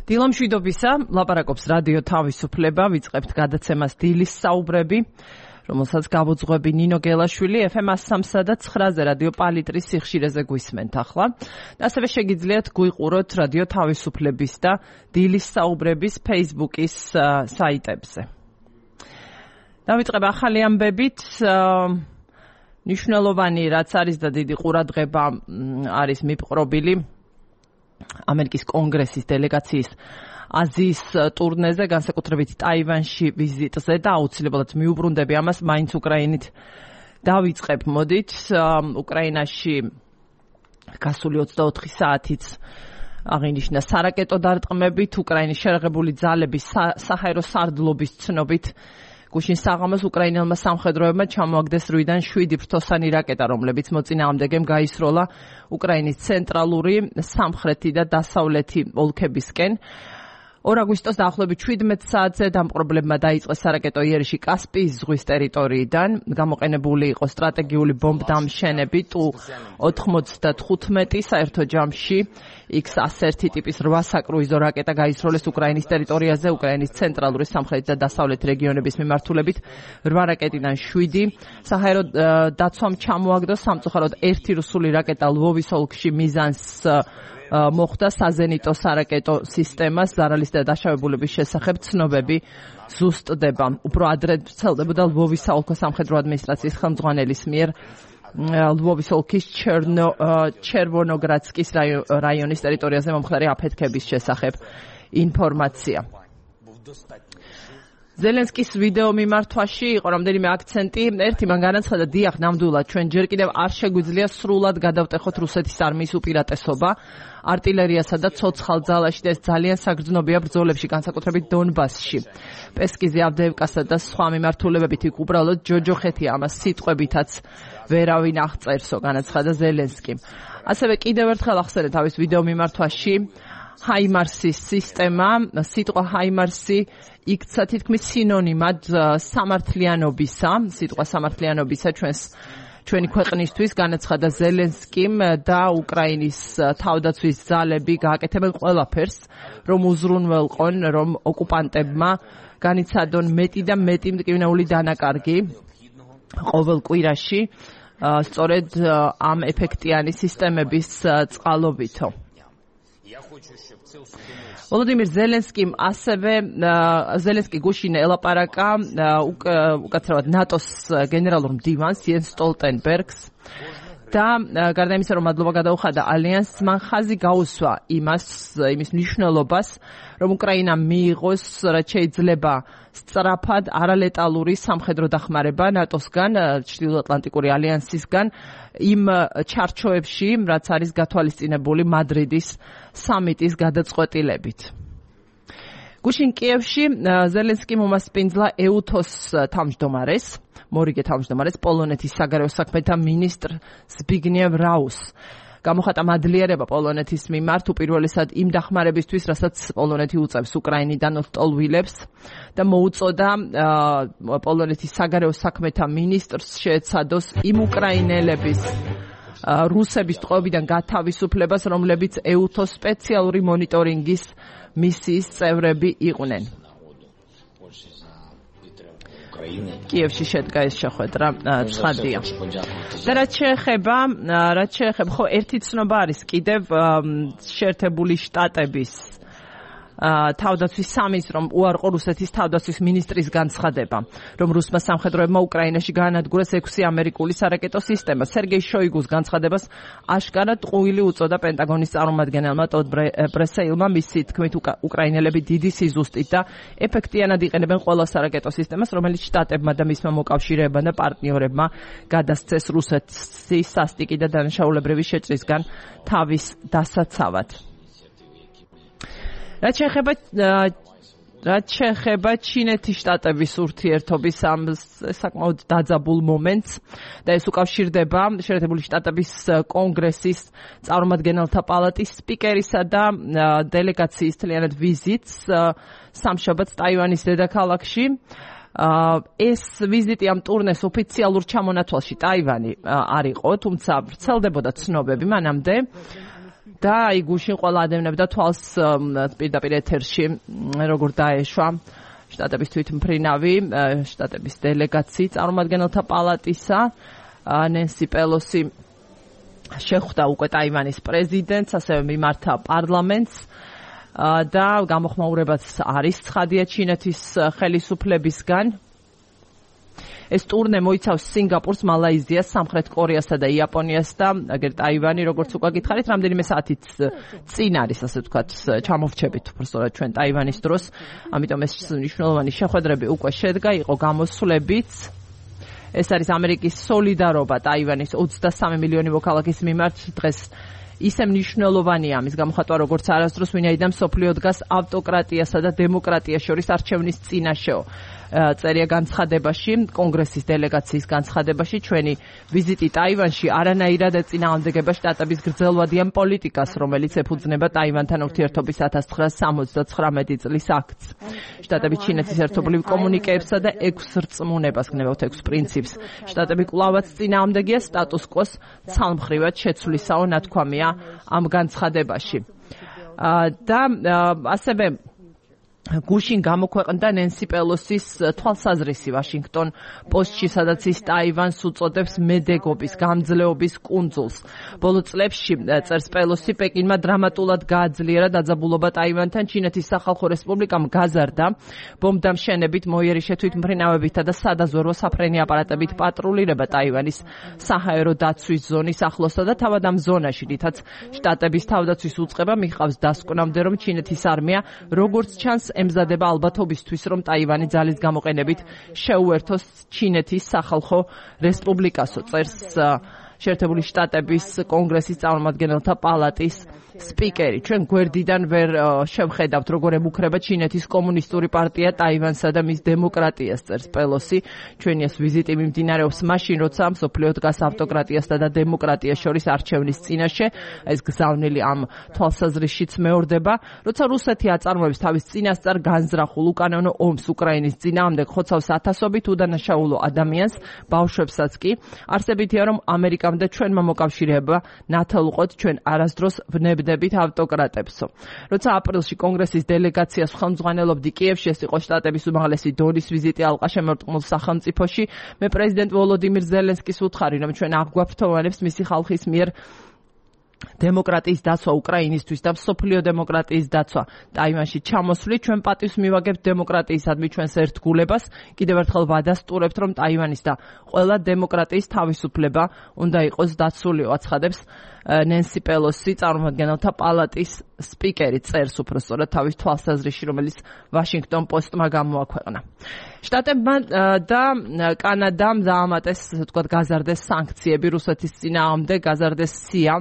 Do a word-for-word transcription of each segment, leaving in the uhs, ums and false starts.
დილა მშვიდობისა, ლაპარაკობს რადიო თავისუფლება, ვიწყებთ გადაცემას დილის საუბრები, რომელსაც გავუძღვები ნინო გელაშვილი, ეფ ემ სამსა და ცხრაზე რადიო პალიტრის სიხშირეზე გვისმენთ ახლა. ასევე შეგიძლიათ გვიყუროთ რადიო თავისუფლების და დილის საუბრების Facebook-ის საიტებზე. დავიწყებ ახალი ამბებით, ნიშნულოვანი რაც არის და დიდი ყურადღება არის მიპყრობილი ამერიკის კონგრესის დელეგაციის აზიის ტურნეზე, განსაკუთრებით ტაივანში ვიზიტზე და აუცილებლად მიუბრუნდები ამას, მაინც უკრაინით დავიწყებ. მოდით, უკრაინაში გასული ოცდაოთხი საათიც აღინიშნა სარაკეტო დარტყმებით, უკრაინის შერაღებული ძალების საჰაერო სარდლობის ცნობით გუშინ საღამოს უკრაინელმა სამხედროებმა ჩამოაგდეს რვიდან შვიდი ფრთოსანი რაკეტა, რომლებიც მოწინააღმდეგემ გაისროლა უკრაინის ცენტრალური, სამხრეთი და დასავლეთი ოლქებისკენ. ორ აგვისტოს დაახლოებით შვიდმეტ საათზე დამპყრობლებმა დაიწყეს სარაკეტო იერიში კასპიის ზღვის ტერიტორიიდან. გამოყენებული იყო სტრატეგიული ბომბდამშენები ტუ ოთხმოცდათხუთმეტი, საერთო ჯამში იქს ასერთი ტიპის რვა საკრუიზო რაკეტა გაისროლეს უკრაინის ტერიტორიაზე, უკრაინის ცენტრალური, სამხრეთი და დასავლეთი რეგიონების მიმართულებით რვა რაკეტიდან შვიდი. საჰაერო დაცვამ ჩამოაგდო სამწუხაროდ ერთი რუსული რაკეტა ლვოვის ოლქში მიზანს მოხდა საზენიტო სარაკეტო სისტემას, ზარალის და დაშავებულების შესახებ ცნობები ზუსტდება. უფრო ადრე ვრცელდებოდა ლვოვის საოლქო სამხედრო ადმინისტრაციის ხელმძღვანელის მიერ ლვოვის ოლქის ჩერვონოგრადსკის რაიონის ტერიტორიაზე მომხდარი აფეთქების შესახებ ინფორმაცია. ზელენსკის ვიდეო მიმართვაში იყო რამდენიმე აქცენტი. ერთი მან განაცხადა, დიახ, ნამდვილად ჩვენ ჯერ კიდევ არ შეგვიძლია სრულად გადავტეხოთ რუსეთის არმიის უპირატესობა артиллериასა და ცოცხალ ძალაში და ეს ძალიან საგრძნობია ბრძოლებში, განსაკუთრებით დონბასში. პესკიზე, ავდეევკასა და სხვა მიმართულებებით იქ უბრალოდ ჯოჯოხეთია, ამას სიტყვებითაც ვერავინ აღწერსო, განაცხადა ზელენსკიმ. ასევე კიდევ ერთხელ ახსენე თავის ვიდეო მიმართვაში ჰაიმარსის სისტემა, სიტყვა ჰაიმარსი იქცა თითქმის სინონიმად სამართლიანობისა, სიტყვა სამართლიანობისა ჩვენს ჩვენი ქვეყნისთვის, განაცხადა ზელენსკიმ და უკრაინის თავდაცვის ძალები გააკეთებენ ყველაფერს, რომ უზრუნველყონ, რომ ოკუპანტებმა განიცადონ მეტი და მეტი მტკივნეული დანაკარგი ყოველ კვირაში, სწორედ ამ ეფექტიანი სისტემების წყალობითო. ვოლოდიმირ ზელენსკიმ ასევე ზელენსკი გუშინ ელაპარაკა უკაცრავად ნატოს გენერალურ მდივანს იენს სტოლტენბერგს და გარდა იმისა, რომ მადლობა გადაუხადა ალიანსს, მან ხაზი გაუსვა იმას, იმის მნიშვნელობას, რომ უკრაინამ მიიღოს, რაც შეიძლება სწრაფად არალეტალური სამხედრო დახმარება ნატოსგან, ჩრდილოატლანტიკური ალიანსისგან, იმ ჩარჩოებში, რაც არის გათვალისწინებული მადრიდის სამიტის გადაწყვეტილებით. გუშინ კიევში ზელენსკიმ უმასპინძლა ეუთოს თავმჯდომარეს, მორიგე თავმჯდომარეს, პოლონეთის საგარეო საქმეთა მინისტრ ზბიგნევ რაუს. გამოხატა მადლიერება პოლონეთის მიმართ უპირველესად იმ დახმარებისთვის, რასაც პოლონეთი უწევს უკრაინიდან ლტოლვილებს და მოუწოდა პოლონეთის საგარეო საქმეთა მინისტრს შეეცადოს იმ უკრაინელების რუსების ტყვეობიდან გათავისუფლებას, რომლებიც ეუთოს სპეციალური მონიტორინგის მისიის წევრები იყვნენ. კიევში შედგა ეს შეხვედრა, ცხადია. და რაც შეეხება, რაც შეეხება, ხო, ერთი ცნობა არის კიდევ შეერთებული შტატების თავდაცვის სამინისტრომ რომ უარყო რუსეთის თავდაცვის მინისტრის განცხადება, რომ რუსმა სამხედროებმა უკრაინაში გაანადგურეს ექვსი ამერიკული სარაკეტო სისტემა. სერგეი შოიგუს განცხადებას აშკარად ტყუილი უწოდა პენტაგონის წარმომადგენელმა ტოდ ბრესეილმა, მისი თქმით უკრაინელები დიდი სიზუსტით და ეფექტიანად იყენებენ ყველა სარაკეტო სისტემას, რომელიც შტატებმა და მისმა მოკავშირეებმა და პარტნიორებმა გადასცეს რუსეთის სასტიკი და დანაშაულებრივი შეჭრისგან თავის დასაცავად. რაც შეეხება რაც შეეხება ჩინეთის შტატების ურთიერთობის ამ საკმაოდ დაძაბულ მომენტს და ეს უკავშირდება შეერთებული შტატების კონგრესის წარმომადგენელთა პალატის სპიკერისა და დელეგაციის თლიანად ვიზიტს სამშაბათს ტაივანის დედაქალაქში. ეს ვიზიტი ამ ტურნეს ოფიციალურ ჩამონათვალში ტაივანი არ იყო, თუმცა ვრცელდებოდა ცნობები მანამდე. და აი გუშინ ყველა ადევნებდა თვალს პირდაპირ ეთერში როგორ დაეშვა შტატების თვითმფრინავი შტატების დელეგაციის წარმომადგენელთა პალატისა ნენსი პელოსი შეხვდა უკვე ტაივანის პრეზიდენტს, ასევე მიმართა პარლამენტს და გამოხმაურებაც არის ცხადია ჩინეთის ხელისუფლებისგან. ეს ტურნე მოიცავს სინგაპურს, მალაიზიას, სამხრეთ კორეასა და იაპონიას და აგერ ტაივანი, როგორც უკვე გითხარით, რამდენიმე საათით წინ არის, ასე ვთქვათ, ჩამოვრჩებით უბრალოდ ჩვენ ტაივანის დროს. ამიტომ ეს მნიშვნელოვანი შეხვედრები უკვე შედგა, იყო გამოსვლებიც. ეს არის ამერიკის სოლიდარობა ტაივანის ოცდასამი მილიონი მოქალაქის მიმართ დღეს ისე მნიშვნელოვანია ამის გამოხატვა, როგორც არასდროს ვინაიდან მსოფლიო დგას ავტოკრატიასა და დემოკრატიას შორის არჩევნის წინაშეო. წერია განცხადებაში, კონგრესის დელეგაციის განცხადებაში, ჩვენი ვიზიტი ტაივანში არანაირად ეწინააღმდეგება შტატების გრძელვადიან პოლიტიკას, რომელიც ეფუძნება ტაივანთან ურთიერთობის ათას ცხრაასა სამოცდათხრამეტი წლის აქტს. შტატები ჩინეთის ერთობლივ კომუნიკეებსა და ექვს რწმუნებას გნებავთ ექვს პრინციპს. შტატები კვლავაც წინააღმდეგია სტატუს კვოს ცალმხრივად შეცვლისაო ნათქვამია ამ განცხადებაში. და ასევე გუშინ გამოქვეყნდა ნენსი პელოსის თვალსაზრისი ვაშინგტონ პოსტში, სადაც ის ტაივანს უწოდებს მედეგობის, გამძლეობის კუნძულს. ბოლო წლებში წერს პელოსი, პეკინმა დრამატულად გააძლიერა დაძაბულობა ტაივანთან. ჩინეთის სახალხო რესპუბლიკამ გაზარდა ბომბდამშენებით, მოიერიშე თვითმფრინავებითა და სადაზვერვო საფრენი აპარატებით პატრულირება ტაივანის საჰაერო დაცვის ზონის ახლოსა და თავად ამ ზონაში, რითაც შტატების თავდაცვის უწყება მიხავს დასკვნამდე, რომ ჩინეთის არმია როგორც ჩანს ემზადება ალბათობისთვის, რომ ტაივანი ძალის გამოყენებით შეუერთოს ჩინეთის სახალხო რესპუბლიკასო, წერს შეერთებული შტატების კონგრესის წარმომადგენელთა პალატის სპიკერი. ჩვენ გვერდიდან ვერ შევხედავთ, როგორ ემუქრება ჩინეთის კომუნისტური პარტია ტაივანსა და მის დემოკრატიას, წერს პელოსი. ჩვენი ეს ვიზიტი მიმდინარეობს მაშინ, როცა მსოფლიო დგას ავტოკრატიასა და დემოკრატიას შორის არჩევნის წინაშე. ეს გზავნილი ამ თვალსაზრისშიც მეორდება, როცა რუსეთი აწარმოებს თავის წინასწარ განზრახულ უკანონო ომს უკრაინის წინააღმდეგ, ხოცავს ათასობით უდანაშაულო ადამიანს, ბავშვებსაც კი. არსებითია, რომ ამერიკამ და ჩვენმა მოკავშირეება ნათელყოთ ჩვენ არასდროს ვნებდებით ავტოკრატებსო. როცა აპრილში კონგრესის დელეგაციას ხელმძღვანელობდი კიევში, ეს იყო შტატების უმაღლესი დონის ვიზიტი ალყაშემორტყმულ სახელმწიფოში, მე პრეზიდენტ ვოლოდიმირ ზელენსკის ვუთხარი, რომ ჩვენ აღვაფრთოვანებს მისი ხალხის მიერ დემოკრატიის დაცვა უკრაინისთვის და მსოფლიო დემოკრატიის დაცვა ტაივანში ჩამოსვლით, ჩვენ პატივს მივაგებთ დემოკრატიისადმი ჩვენს ერთგულებას. კიდევ ერთხელ ვადასტურებთ, რომ ტაივანის და ყველა დემოკრატიის თავისუფლება უნდა იყოს დაცული, აცხადებს ნენსი პელოსი, წარმომადგენელთა პალატის სპიკერი, წერს უბრალოდ თავის თვალსაზრისში, რომელიც ვაშინგტონ პოსტმა გამოაქვეყნა. შტატებმა და კანადამ დაამატეს, ასე ვთქვათ, გაზარდეს სანქციები რუსეთის წინააღმდეგ, გაზარდეს სია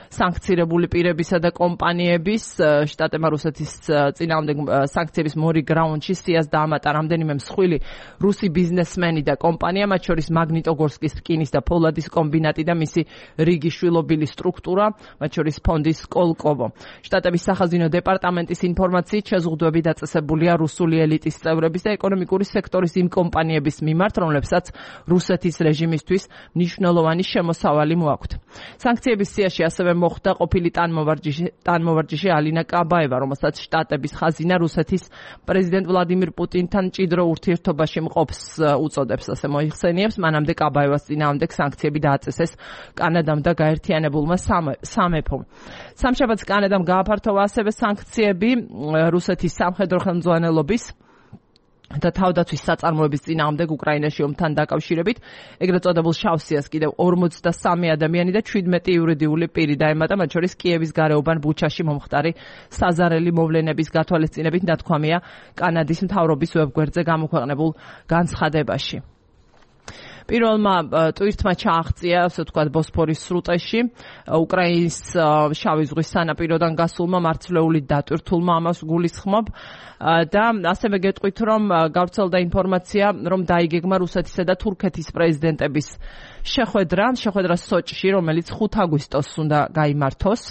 სანქცირებული პირებისა და კომპანიების. შტატებმა რუსეთის წინააღმდეგ სანქციების მორიგ გრაუნდში სიას დაამატა რამდენიმე მსხვილი რუსი ბიზნესმენი და კომპანია, მათ შორის მაგნიტოგორსკის რკინის და ფოლადის კომბინატი და მისი რიგი შვილობილი სტრუქტურა, მათ შორის ფონდი სკოლკოვო. შტატების სახაზინო დეპარტამენტის ინფორმაციით შეზღუდვები დაწესებულია რუსული ელიტის წევრების და ეკონომიკური სექტორის იმ კომპანიების მიმართ, რომლებსაც რუსეთის რეჟიმისთვის მნიშვნელოვანი შემოსავალი მოაქვთ. სანქციების სიაში ასევე მოხდა ყოფილი ტანმოვარჯიშე ტანმოვარჯიშე ალინა კაბაევა, რომელსაც შტატების ხაზინა რუსეთის პრეზიდენტ ვლადიმირ პუტინთან მჭიდრო ურთიერთობაში მყოფს უწოდებს, ასე მოიხსენიებს. მანამდე კაბაევას წინააღმდეგ სანქციები დააწესეს კანადამ და გაერთიანებულმა სამეფომ. სამშაბათს კანადამ გააფართოვა ასევე სანქციები რუსეთის სამხედრო ხელმძღვანელობის და თავდაცვის საწარმოების წინააღმდეგ უკრაინაში ომთან დაკავშირებით. ეგრეთ წოდებულ შავ სიას კიდევ ორმოცდასამი ადამიანი და შვიდმეტი იურიდიული პირი დაემატა, მათ შორის კიევის გარეუბან ბუჩაში მომხდარი საზარელი მოვლენების გათვალისწინებით, ნათქვამია კანადის მთავრობის ვებგვერდზე გამოქვეყნებულ განცხადებაში. პირველმა ტვირთმა ჩააღწია, ასე ვთქვათ, ბოსფორის სრუტეში უკრაინის შავი ზღვის სანაპიროდან გასულმა მარცვლეული დატვირთულმა ამას გულისხმობ და ასევე გეტყვით, რომ გავრცელდა ინფორმაცია, რომ დაიგეგმა რუსეთისა და თურქეთის პრეზიდენტების შეხვედრა, შეხვედრა სოჭში, რომელიც ხუთ აგვისტოს უნდა გაიმართოს.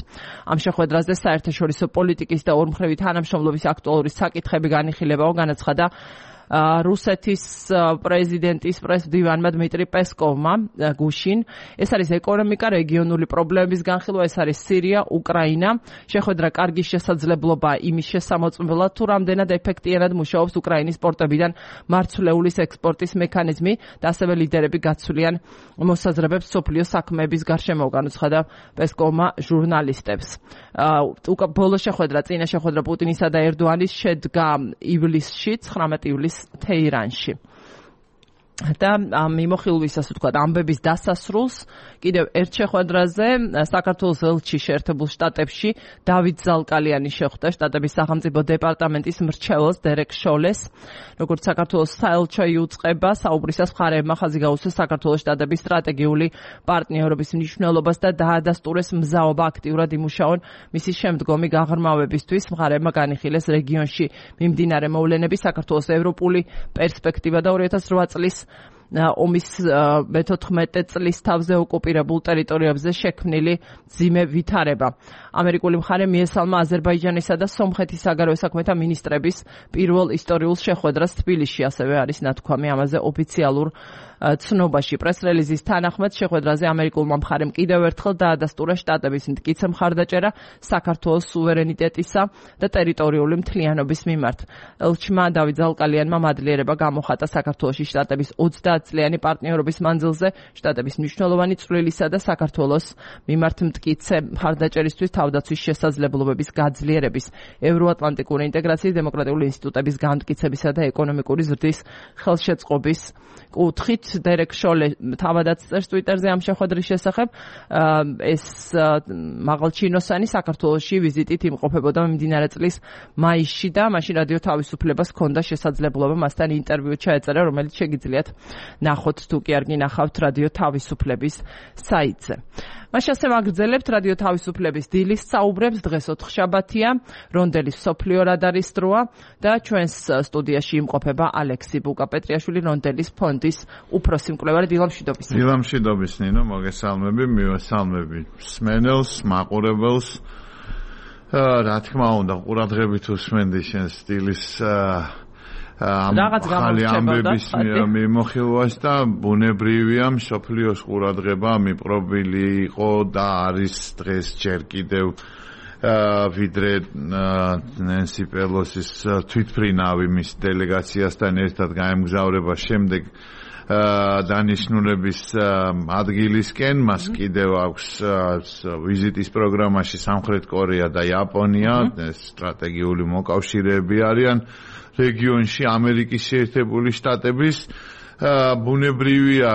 ამ შეხვედრაზე საერთაშორისო პოლიტიკის და ორმხრივი თანამშრომლობის აქტუალური საკითხები განიხილებაო, განაცხადა რუსეთის პრეზიდენტის პრესდივანმა დმიტრი პესკოვმა გუშინ. ეს არის ეკონომიკა, რეგიონული პრობლემების განხილვა, ეს არის სირია, უკრაინა. შეხვედრა კარგი შესაძლებლობა იმის შესამოწმებლად, თუ რამდენად ეფექტიანად მუშაობს უკრაინის პორტებიდან მარცვლეულის ექსპორტის მექანიზმი და ასევე ლიდერები გაცვლიან მოსაზრებებს სოფლიო საქმეების გარშემო, განუცხადა პესკოვმა ჟურნალისტებს. ბოლო შეხვედრა, წინა შეხვედრა პუტინისა და ერდოანის შედგა ივლისში, ცხრამეტ ივლისს თეირანში. და მიმოხილვის, ასე ვთქვათ, ამბების დასასრულს კიდევ ერთ შეხვედრაზე საქართველოს ელჩი შეერთებულ შტატებში დავით ზალკალიანი შეხვდა შტატების სახელმწიფო დეპარტამენტის მრჩეველს დერეკ შოლეს. როგორც საქართველოს საელჩო იუწყება, საუბრისას მხარეებმა ხაზი გაუსვეს საქართველოს შტატების სტრატეგიული პარტნიორობის მნიშვნელობას და დაადასტურეს მზაობა აქტიურად იმუშაონ მისი შემდგომი გაღრმავებისთვის. მხარეებმა განიხილეს რეგიონში მიმდინარე მოვლენები, საქართველოს ევროპული პერსპექტივა და ორი ათას რვა წლის ომის მეთოთხმეტე წლის თავზე ოკუპირებულ ტერიტორიებზე შექმნილი მძიმე ვითარება. ამერიკული მხარე მიესალმა აზერბაიჯანისა და სომხეთის საგარეო საქმეთა მინისტრების პირველ ისტორიულ შეხვედრას თბილისში, ასევე არის ნათქვამი ამაზე ოფიციალურ ცნობაში. პრეს-რელიზის თანახმად შეხვედრაზე ამერიკულმა მხარემ კიდევ ერთხელ დაადასტურა შტატების მტკიცე მხარდაჭერა საქართველოს სუვერენიტეტისა და ტერიტორიული მთლიანობის მიმართ. ელჩმა დავით ზალკალიანმა მადლიერება გამოხატა საქართველოში შტატების ოცდაათწლიანი პარტნიორობის მანძილზე, შტატების მნიშვნელოვანი წვლილისა და საქართველოს მიმართ მტკიცე მხარდაჭერისთვის თავდაცვის შესაძლებლობების გაძლიერების, ევროატლანტიკური ინტეგრაციის, დემოკრატიული ინსტიტუტების განმტკიცებისა და ეკონომიკური ზრდის ხელშეწყობის კუთხით. დერეკ შოლე თავადაც წერს ტვიტერზე ამ შეხვედრის შესახებ. ეს მაღალჩინოსანი საქართველოში ვიზიტით იმყოფებოდა მიმდინარე წლის მაისში და მაშინ რადიო თავისუფლებას ჰქონდა შესაძლებლობა მასთან ინტერვიუ ჩაეწერა, რომელიც შეგიძლიათ ნახოთ თუ კი არ გინახავთ რადიო თავისუფლების საიტზე. მას ასევე აგრძელებთ რადიო თავისუფლების დილის საუბრებს. დღეს ოთხშაბათია, რონდელის სოფლიო რადარის დროა და ჩვენს სტუდიაში იმყოფება ალექსი ბუკაპეტრიაშვილი, რონდელის ფონდის უფროსი მკვლევარი. დილამშვიდობის. დილამშვიდობის ნინო, მოგესალმები, მივესალმები სმენელს, მაყურებელს. რა თქმა უნდა, ყურადღებით უსმენდი შენ სტილის რაღაც ამბების მიმოხილვას და ბუნებრივია მსოფლიოს ყურადღება მიპყრობილი იყო და არის დღეს ჯერ კიდევ ვიდრე ნენსი პელოსის თვითმფრინავი მის დელეგაციასთან ერთად გაემგზავრება შემდეგ დანიშნულების ადგილისკენ. მას კიდევ აქვს ვიზიტის პროგრამაში სამხრეთ კორეა და იაპონია, სტრატეგიული მოკავშირეები არიან რეგიონში ამერიკის შეერთებული შტატების. ბუნებრივია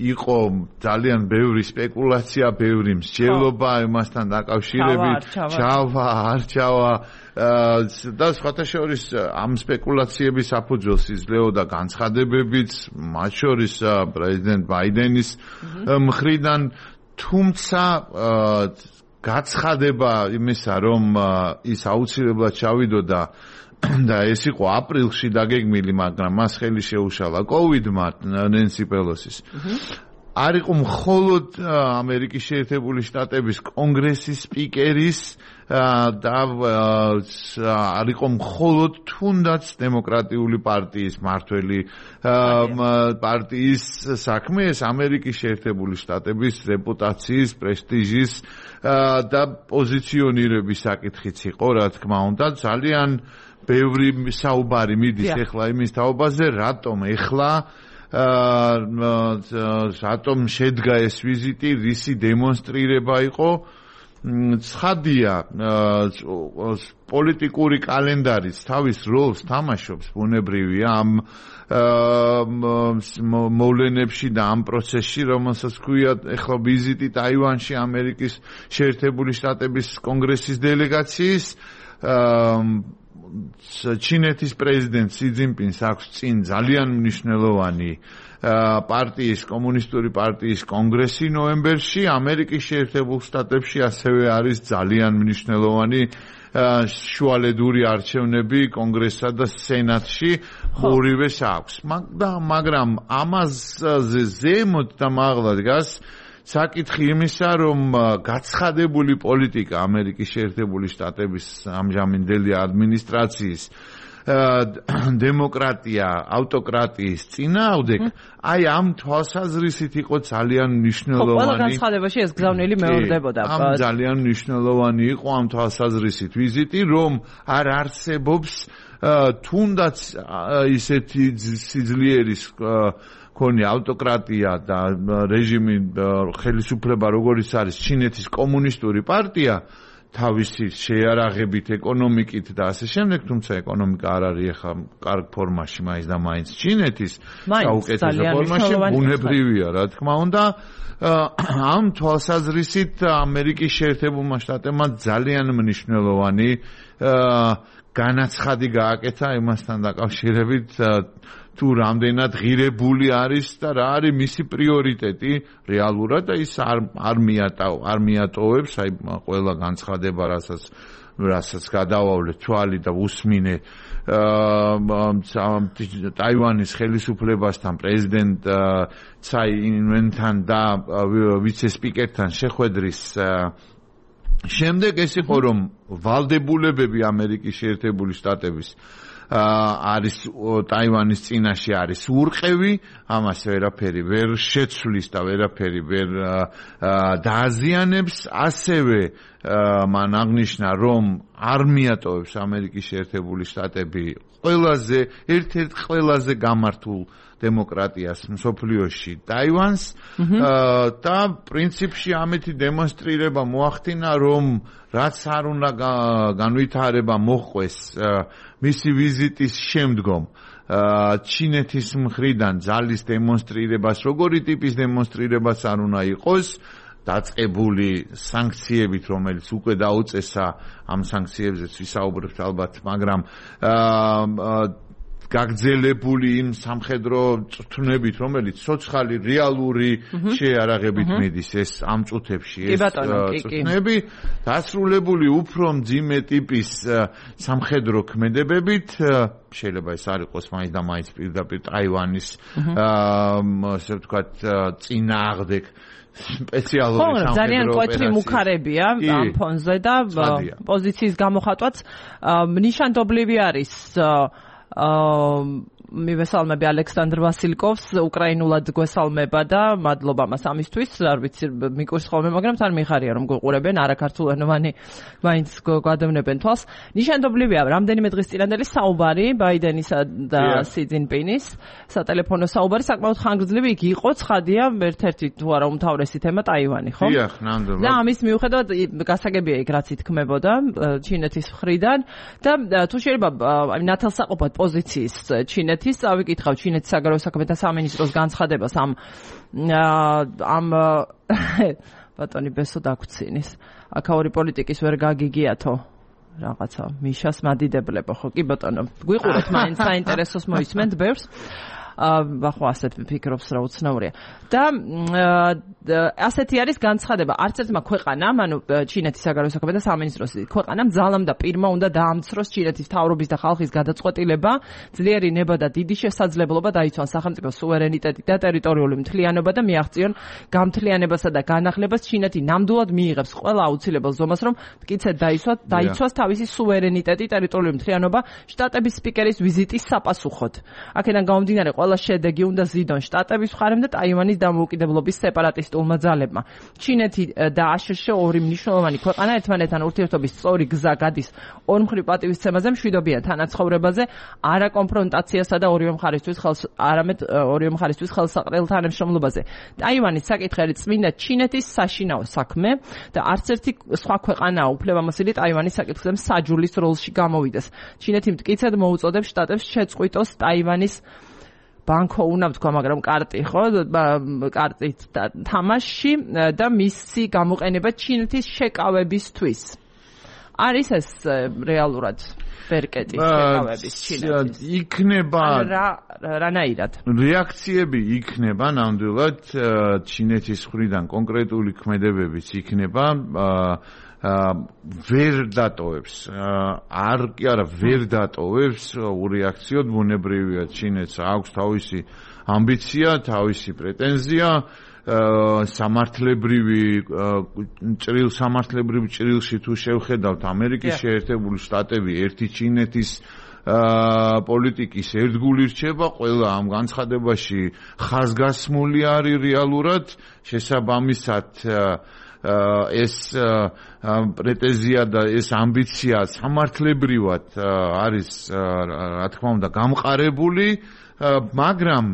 იყო ძალიან ბევრი სპეკულაცია, ბევრი მსჯელობა იმასთან დაკავშირებით, ჩავა, არ ჩავა და სხვათა შორის ამ სპეკულაციების საფუძველს იძლეოდა განცხადებებიც, მათ შორის პრეზიდენტ ბაიდენის მხრიდან, თუმცა გაცხადება იმისა, რომ ის აუცილებლად ჩავიდოდა და ეს იყო აპრილში დაგეგმილი, მაგრამ მას ხელი შეუშალა კოვიდმა ნენსი პელოსის. არ იყო მხოლოდ ამერიკის შეერთებული შტატების კონგრესის სპიკერის და არ იყო მხოლოდ თუნდაც დემოკრატიული პარტიის მართველი პარტიის საქმე, ეს ამერიკის შეერთებული შტატების რეპუტაციის, პრესტიჟის და პოზიციონირების საკითხიც იყო, რა თქმა უნდა. ძალიან ბევრი საუბარი მიდის ეხლა იმის თაობაზე, რატომ ეხლა რატომ შედგა ეს ვიზიტი, რისი დემონსტრირება იყო. ცხადია, პოლიტიკური კალენდარიც თავის როლს თამაშობს, ბუნებრივია ამ მოვლენებში და ამ პროცესში, რომელსაც ქვია ეხლა ვიზიტი ტაივანში ამერიკის შეერთებული შტატების კონგრესის დელეგაციის. ჩინეთის პრეზიდენტ სი ძინპინს აქვს წინ ძალიან მნიშვნელოვანი პარტიის, კომუნისტური პარტიის კონგრესი ნოემბერში, ამერიკის შეერთებულ შტატებში ასევე არის ძალიან მნიშვნელოვანი შუალედური არჩევნები კონგრესსა და სენატში, ორივეს აქვს. მაგრამ ამაზე ზემოთ და მაღლა დგას საკითხი იმისა, რომ გაცხადებული პოლიტიკა ამერიკის შეერთებული შტატების ამჟამინდელი ადმინისტრაციის დემოკრატია ავტოკრატიის წინააღმდეგ, აი ამ თვალსაზრისით იყო ძალიან მნიშვნელოვანი. ყველა განცხადებაში ეს გზავნილი მეორდებოდა. ამ ძალიან მნიშვნელოვანი იყო ამ თვალსაზრისით ვიზიტი, რომ არ არსებობს თუნდაც ისეთი სიძლიერის ქონი ავტოკრატია და რეჟიმი ხელისუფლება როგორიც არის ჩინეთის კომუნისტური პარტია თავისი შეარაღებით ეკონომიკით და ასე შემდეგ, თუმცა ეკონომიკა არ არის ახლა კარგ ფორმაში მაინც და მაინც ჩინეთის საუკეთესო ფორმაში, ბუნებრივია რა თქმა უნდა. ამ თვალსაზრისით ამერიკის შეერთებულმა შტატებმა ძალიან მნიშვნელოვანი განაცხადი გააკეთა იმასთან დაკავშირებით, თუ რამდენად ღირებული არის და რა არის მისი პრიორიტეტი რეალურად და ის არ არ მიატოვ არ მიატოვებს აი ყველა განცხადება, რასაც რასაც გადავავლე თვალი და უსმინე ტაივანის ხელისუფლებასთან, პრეზიდენტ ცაი ინვენთან და ვიცე-სპიკერთან შეხვედრის შემდეგ ეს იყო, რომ ვალდებულებები ამერიკის შეერთებული შტატების არის ტაივანის წინაშე არის ურყევი, ამას ვერაფერი ვერ შეცვლის და ვერაფერი ვერ დააზიანებს, ასევე მან აღნიშნა, რომ არ მიატოვებს ამერიკის შეერთებული შტატები ყველაზე ერთ-ერთ ყველაზე გამართულ დემოკრატიას მსოფლიოში ტაივანს და პრინციპში ამეთი დემონსტრირება მოახდინა, რომ რაც არ უნდა განვითარება მოჰყვეს მისი ვიზიტის შემდგომ ჩინეთის მხრიდან ძალის დემონსტრირებას, როგორი ტიპის დემონსტრირებას არ უნდა იყოს, დაწყებული სანქციებით, რომელიც უკვე დაუწესა, ამ სანქციებზეც ვისაუბრებთ ალბათ, მაგრამ გაგრძელებული იმ სამხედრო წვრთნებით, რომელიც ცოცხალი რეალური შეარაღებით მიდის, ეს ამ წუთებში ეს წვრთნები დასრულებული უფრო მძიმე ტიპის სამხედრო ქმედებებით, შეიძლება ეს არ იყოს მაინც და მაინც პირდაპირ ტაივანის ასე ვთქვათ წინააღმდეგ სპეციალური სამხედრო ძალიან კვეთრი მუქარებია ამ ფონზე და პოზიციის გამოხატვაც ნიშანდობლივი არის მივესალმები ალექსანდრ ვასილკოვს, უკრაინულად გვესალმება და მადლობა მას ამისთვის, არ ვიცი მიკურს ხოლმე, მაგრამ თან მიხარია რომ გუყურებენ, არაქართულენოვანი მაინც გადავნებენ თვალს. ნიშანდობლივია რამდენიმე დღის წინანდელი საუბარი ბაიდენისა და სი ძინპინის სატელეფონო საუბარი საკმაოდ ხანგრძლივი იგი იყო, ცხადია, ერთ-ერთი თუ არა უმთავრესი თემა ტაივანი, ხო? დიახ, ნამდვილად. და ამის მიუხედავად გასაგებია იქ რაც ითქმებოდა ჩინეთის მხრიდან და თუ შეიძლება აი ნათელსაყოფად პოზიციის ჩინეთის წავიკითხავ ჩინეთის საგარეო საქმეთა სამინისტროს განცხადებას ამ ამ ბატონი ბესო დაგვრცინის აქაური პოლიტიკის ვერ გაგიგიათო რაღაცა მიშას მადიდებლებო ხო კი ბატონო გვიყურეთ მაინც საინტერესოს მოისმენთ ბევრს ახლა ასეთ ფიქრობს რა უცნაურია და ასეთი არის განცხადება არც ერთმა ქვეყანამ ანუ ჩინეთის საგარეო საქმეთა სამინისტროს ქვეყანამ ძალამ და პირმა უნდა დაამცროს ჩინეთის მთავრობის და ხალხის გადაწყვეტილება ძლიერი ნება და დიდი შესაძლებლობა დაიცვან სახელმწიფო სუვერენიტეტი და ტერიტორიული მთლიანობა და მიაღწიონ გამთლიანებასა და განახლებას ჩინეთი ნამდვილად მიიღებს ყველა აუცილებელ ზომას რომ მტკიცედ დაიცვათ დაიცვას თავისი სუვერენიტეტი ტერიტორიული მთლიანობა შტატების სპიკერის ვიზიტის საპასუხოდ აქედან გამომდინარე ყველა შედეგი უნდა ზიდონ შტატების მხარემ და ტაივანის დამოუკიდებლობის სეპარატისტულმა ძალებმა. ჩინეთი და აშშ ორი მნიშვნელოვანი ქვეყანა ერთმანეთთან ურთიერთობის სწორი გზა გადის ორმხრივ პატივისცემაზე, მშვიდობიან თანაცხოვრებაზე, არა კონფრონტაციასა და ორივე მხარისთვის ხელს არამედ ორივე მხარისთვის ხელსაყრელ თანამშრომლობაზე. ტაივანის საკითხი არის წმინდა ჩინეთის საშინაო საქმე და არც ერთი სხვა ქვეყანაა უფლებამოსილი ტაივანის საკითხზე საჯულის როლში გამოვიდეს. ჩინეთი მტკიცედ მოუწოდებს შტატებს შეწყვიტოს ტაივანის ბანკო უნდა ვთქვა, მაგრამ კარტი ხო, კარტით თამაში და მისი გამოყენება ჩინეთის შეკავებისთვის. არის ეს რეალურად ბერკეტის შეკავების ჩინეთის? იქნება რა რანაირად? რეაქციები იქნება ნამდვილად ჩინეთის მხრიდან კონკრეტული ქმედებებიც იქნება ვერ დატოვებს არ კი არა ვერ დატოვებს ურეაქციოდ ბუნებრივია ჩინეთს აქვს თავისი ამბიცია, თავისი პრეტენზია სამართლებრივი ჭრილ სამართლებრივ ჭრილში თუ შევხედავთ ამერიკის შეერთებული შტატები ერთი ჩინეთის პოლიტიკის ერთგული რჩება, ყველა ამ განცხადებაში ხაზგასმული არის რეალურად, შესაბამისად ეს პრეტენზია და ეს ამბიცია სამართლებრივად არის, რა თქმა უნდა, გამყარებული, მაგრამ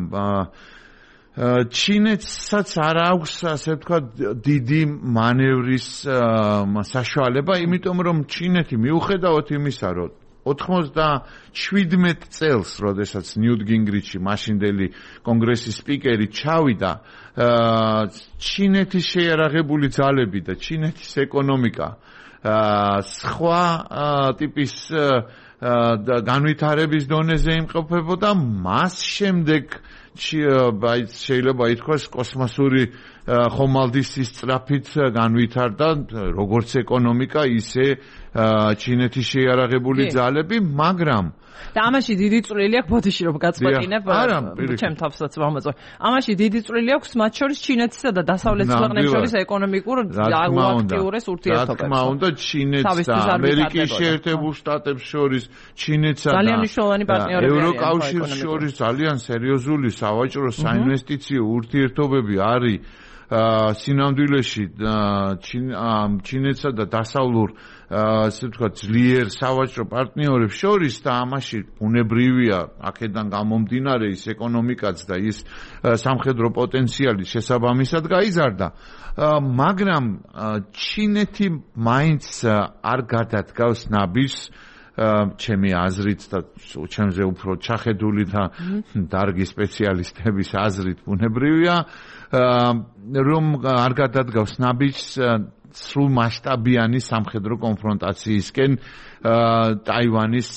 ჩინეთსაც არ აქვს, ასე ვთქვათ, დიდი მანევრის საშუალება, იმიტომ რომ ჩინეთი მიუხედავად იმისა, რომ ოთხმოცდაშვიდმეტ წელს, როდესაც ნიუტ გინგრიჩი, მაშინდელი კონგრესის სპიკერი ჩავიდა, ჩინეთის შეიარაღებული ძალები და ჩინეთის ეკონომიკა სხვა ტიპის განვითარების დონეზე იმყოფებოდა, მას შემდეგ შეიძლება ითქვას კოსმოსური ხომალდის სწრაფით განვითარდა როგორც ეკონომიკა, ისე ჩინეთის შეიარაღებული ძალები, მაგრამ და ამაში დიდი წვლილი აქვს, ბოდიში რომ გაწყვეტინებ, ჩემ თავსაც ვამოწმე. ამაში დიდი წვლილი აქვს მათ შორის ჩინეთსა და დასავლეთ ქვეყნებს შორის ეკონომიკურ აქტიურეს ურთიერთობებს. რა თქმა უნდა, ჩინეთს და ამერიკის შეერთებულ შტატებს შორის, ჩინეთსა და ევროკავშირს შორის ძალიან სერიოზული სავაჭრო საინვესტიციო ურთიერთობები არის სინამდვილეში ჩინეთსა და დასავლურ ასე ვთქვათ ძლიერ სავაჭრო პარტნიორებს შორის და ამაში უნებრივია აქედან გამომდინარე ის ეკონომიკაც და ის სამხედრო პოტენციალი შესაბამისად გაიზარდა, მაგრამ ჩინეთი მაინც არ გადადგავს ნაბიჯს ჩემი აზრით და ჩემზე უფრო ჩახედული და დარგი სპეციალისტების აზრით უნებრივია, რომ არ გადადგავს ნაბიჯს სრულ მასშტაბიანი სამხედრო კონფრონტაციისკენ ტაივანის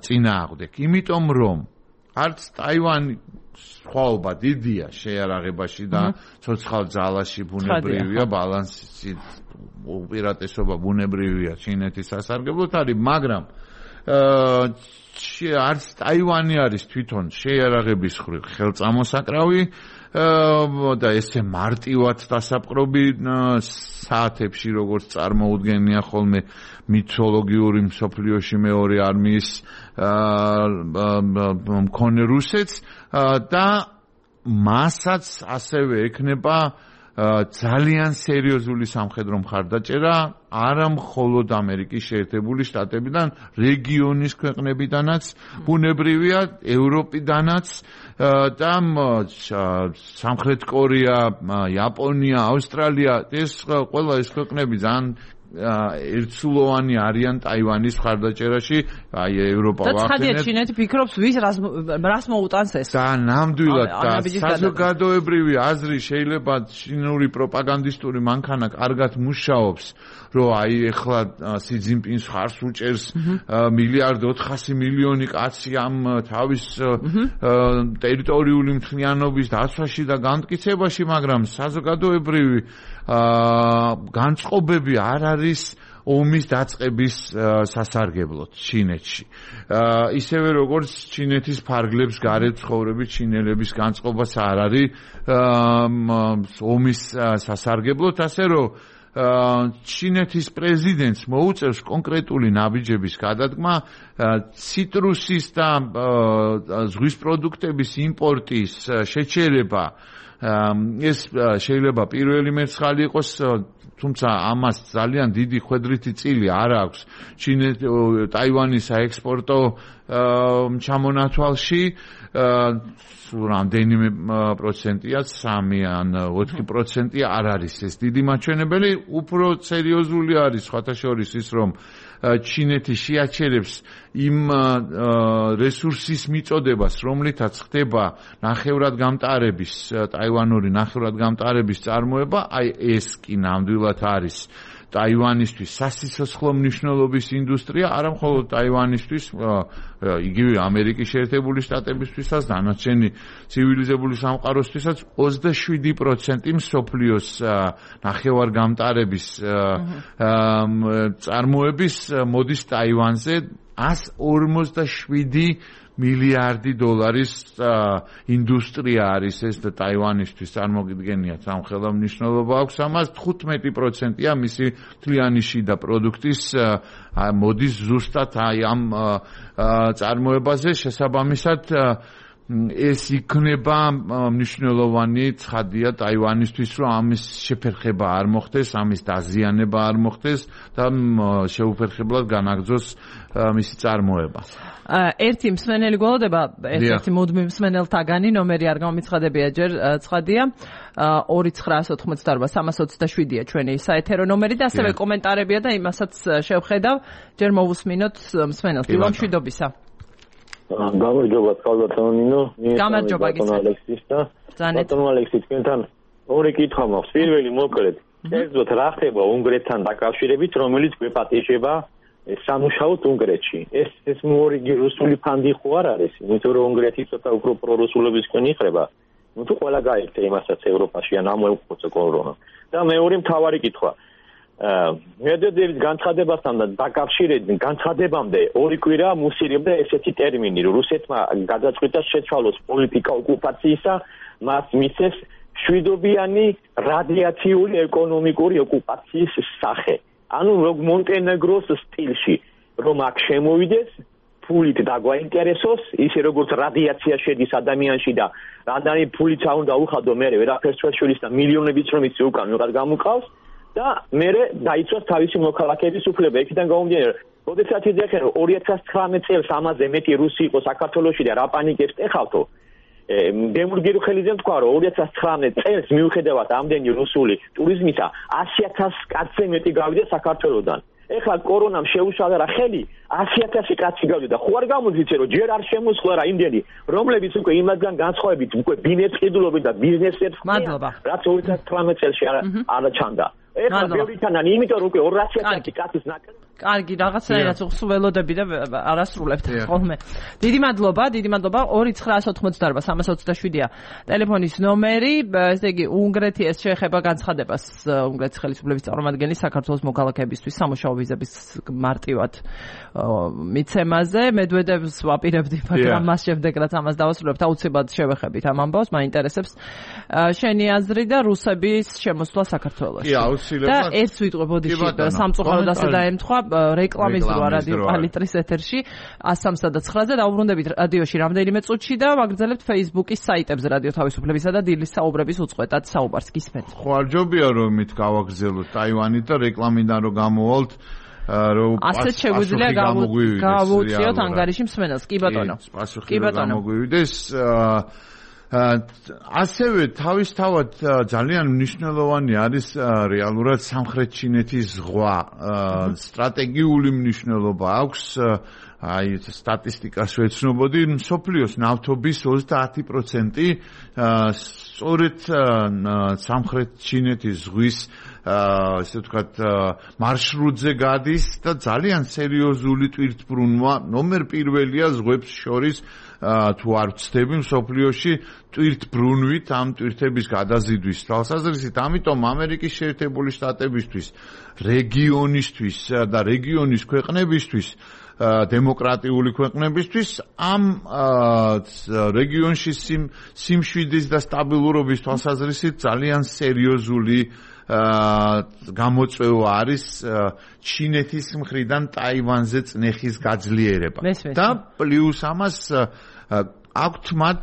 წინააღმდეგ. იმიტომ რომ არც ტაივანი სხვაობა დიდია შეიარაღებაში და ცოცხალ ძალაში ბუნებრივია, ბალანსი უპირატესობა ბუნებრივია ჩინეთის სასარგებლოდ არის, მაგრამ არც ტაივანი არის თვითონ შეიარაღების ხელწამოსაკრავი და ესე მარტივად დასაპყრობი საათებში, როგორც წარმოუდგენია ხოლმე მითოლოგიური მსოფლიოში მეორე არმიის მქონე რუსეთს და მასაც ასევე ექნება ძალიან სერიოზული სამხედრო მხარდაჭერა არა მხოლოდ ამერიკის შეერთებული შტატებიდან, რეგიონის ქვეყნებიდანაც, ბუნებრივია ევროპიდანაც და სამხრეთ კორეა, იაპონია, ავსტრალია, ეს ყველა ეს ქვეყნები ძალიან ერთსულოვანი არიან ტაივანის მხარდაჭერაში, აი ევროპა ვახდენებს. და ცხადია ჩინეთი ფიქრობს, ვის რას მოუტანს ეს. და ნამდვილად და საზოგადოებრივი აზრი შეიძლება ჩინური პროპაგანდისტური მანქანა კარგად მუშაობს, რომ აი ეხლა სი ძინპინს ხარს უჭერს მილიარდ ოთხასი მილიონი კაცი ამ თავის ტერიტორიული მთლიანობის დაცვაში და განმტკიცებაში, მაგრამ საზოგადოებრივი განწყობები არ არის ომის დაწყების სასარგებლოდ ჩინეთში. ისევე როგორც ჩინეთის ფარგლებს გარეთ ცხოვრები ჩინელების განწყობაც არ არის ომის სასარგებლოდ, ასე რომ ჩინეთის პრეზიდენტს მოუწევს კონკრეტული ნაბიჯების გადადგმა ციტრუსის და ზღვის პროდუქტების იმპორტის შეჩერება. ეს შეიძლება პირველი მერცხალი იყოს, თუმცა ამას ძალიან დიდი ხვედრითი წილი არ აქვს ტაივანის საექსპორტო ჩამონათვალში, რამდენიმე პროცენტია, სამი ან ოთხი პროცენტი არ არის ეს დიდი მაჩვენებელი, უფრო სერიოზული არის სხვათა შორის ის, რომ ჩინეთი შეაჩერებს იმ რესურსის მიწოდებას, რომლითაც ხდება ნახევრად გამტარების, ტაივანური ნახევრად გამტარების წარმოება, აი ეს კი ნამდვილად არის ტაივანისთვის სასიცოცხლო მნიშვნელობის ინდუსტრია, არა მხოლოდ ტაივანისთვის, იგივე ამერიკის შეერთებული შტატებისთვისაც, დანარჩენი ცივილიზებული სამყაროსთვისაც ოცდაშვიდი პროცენტი მსოფლიოს ნახევარგამტარების წარმოების მოდის ტაივანზე one hundred forty-seven მილიარდი დოლარის ინდუსტრია არის ეს და ტაივანისთვის წარმოგიდგენიათ ამ ხელა მნიშვნელობა აქვს ამას თხუთმეტი პროცენტია მისი მთლიანი შიდა პროდუქტის მოდის ზუსტად აი ამ წარმოებაზე შესაბამისად ეს იქნება მნიშვნელოვანი ცხადია ტაივანისთვის რომ ამის შეფერხება არ მოხდეს ამის დაზიანება არ მოხდეს და შეუფერხებლად განაგრძოს მისი წარმოება ერთი მსმენელი გველოდება ერთ-ერთი მუდმივ მსმენელთაგანი ნომერი არ გამომიცხადებია ჯერ ცხადია ორი ცხრაას ოთხმოცდაორბა სამას ოცდაშვიდია ჩვენი საეთერო ნომერი და ასევე კომენტარებია და იმასაც შევხედავ ჯერ მოვუსმინოთ მსმენელს დილო მშვიდობისა გამარჯობა კალბატონინო გამარჯობა გისმენთ ბატონო ალექსი თქვენთან ორი კითხვა მაქვს პირველი მოკლედ ერთოდ რა ხდება უნგრეთთან დაკავშირებით რომელიც გვეპატიჟება სამუშაოდ უნგრეთში ეს ეს მორიგი რუსული ფანდი ხო არ არის იმიტომ რომ უნგრეთი ცოტა უფრო პრორუსულობისკენ იხრება ну თუ ყველა გაიქცა იმასაც ევროპაში ან ამოუყოცა კორონა და მეორე მთავარი კითხვა მედვედევის განცხადებასთან და დაკავშირებით განცხადებამდე ორი კვირა მუსირებდა ესეთი ტერმინი რომ რუსეთმა გადაწყვიტა შეცვალოს პოლიტიკა ოკუპაციისა მას მისცეს შვიდობიანი რადიაციული ეკონომიკური ოკუპაციის სახე ანუ მონტენეგროს სტილში რომ აქ შემოვიდეს ფულით დაგვაინტერესოს ისე როგორც რადიაცია შედის ადამიანში და რამდენი ფულით უნდა უხადო მე ვერაფერს შეშულის და მილიონებიც რომ იცი უკან ვიღაც გამოყავს და მე დაიცვას თავისი მოქალაქეების უფლება იქიდან გამომდინარე როდესაც იძახენ რომ ორი ათას ცხრამეტ წელს ამაზე მეტი რუსი იყო საქართველოში და რა პანიკებს ეხავთო დემურგირო ხელიძემ თქვა რომ ორი ათას ცხრამეტ წელს მიუხედავად ამდენი რუსული ტურიზმისა ასი ათას კაცზე მეტი გავიდა საქართველოსდან ეხლა კორონამ შეუშალა რა ხელი ასი ათასი კაცი გავიდა ხო არ გამოდის რომ ჯერ არ შემოსხლა რა იმდენი რომლებიც უკვე იმასგან განსხვავებით უკვე ბინებს ყიდულობენ და ბიზნესებს რაც ორი ათას ცხრამეტ წელში არ ჩანდა ეხლა ბევრითანან იმიტომ რომ უკვე ორასი ათასი კაცის ნაკრები კარგი რაღაცნაირად უხსველოდები და არასრულებთ ხოლმე. დიდი მადლობა, დიდი მადლობა. ორი ცხრაას ოთხმოცდაორბა სამას ოცდაშვიდია ტელეფონის ნომერი. ესე იგი, უნგრეთი ეს შეეხება განცხადებას უნგრეთის ხელისუფლების წარმომადგენლის საქართველოს მოქალაქეებისთვის სამუშაო ვიზების მარტივად მიცემაზე. მედვედევს ვაპირებდი, მაგრამ მას შემდეგ რაც ამას დავასრულებთ, აუცილებლად შევეხებით ამ ამბავს, მაინტერესებს შენი აზრი და რუსების შემოსვლა საქართველოში. კი, აუცილებლად. და ეს ვიტყვი ბოდიში სამწუხაროდ ასე დაემთხვა რეკლამის რვა რადიო პალიტრის ეთერში one thirty-nine-ზე დაუბრუნდებით რადიოში რამდენიმე წუთში და ვაგრძელებთ Facebook-ის საიტებზე რადიო თავისუფლებისა და დილის საუბრების უწყვეტად საუბარს გისმენთ. ხო არ ჯობია რომ მით გავაგრძელოთ ტაივანით და რეკლამიდან რომ გამოვალთ რომ ასეთ შეგვიძლია გავუწიოთ ანგარიში მსმენელს. კი ბატონო. კი ბატონო. გამოგვივიდეს ასევე თავისთავად ძალიან მნიშვნელოვანი არის რეალურად სამხრეთ ჩინეთის ზღვა სტრატეგიული მნიშვნელობა აქვს აი სტატისტიკას ვეცნობოდი მსოფლიოს ნავთობის ოცდაათი პროცენტი სწორედ სამხრეთ ჩინეთის ზღვის ესე ვთქვათ მარშრუტზე გადის და ძალიან სერიოზული ტვირთბრუნვა ნომერ პირველია ზღვებს შორის თუ არ ვცდები მსოფლიოში ტვირთბრუნვით ამ ტვირთების გადაზიდვის თვალსაზრისით ამიტომ ამერიკის შეერთებული შტატებისთვის რეგიონისთვის და რეგიონის ქვეყნებისთვის დემოკრატიული ქვეყნებისთვის ამ რეგიონში სიმშვიდის და სტაბილურობის თვალსაზრისით ძალიან სერიოზული გამოწვევა არის ჩინეთის მხრიდან ტაივანზე წნეხის გაძლიერება და პლუს ამას აქვთ მათ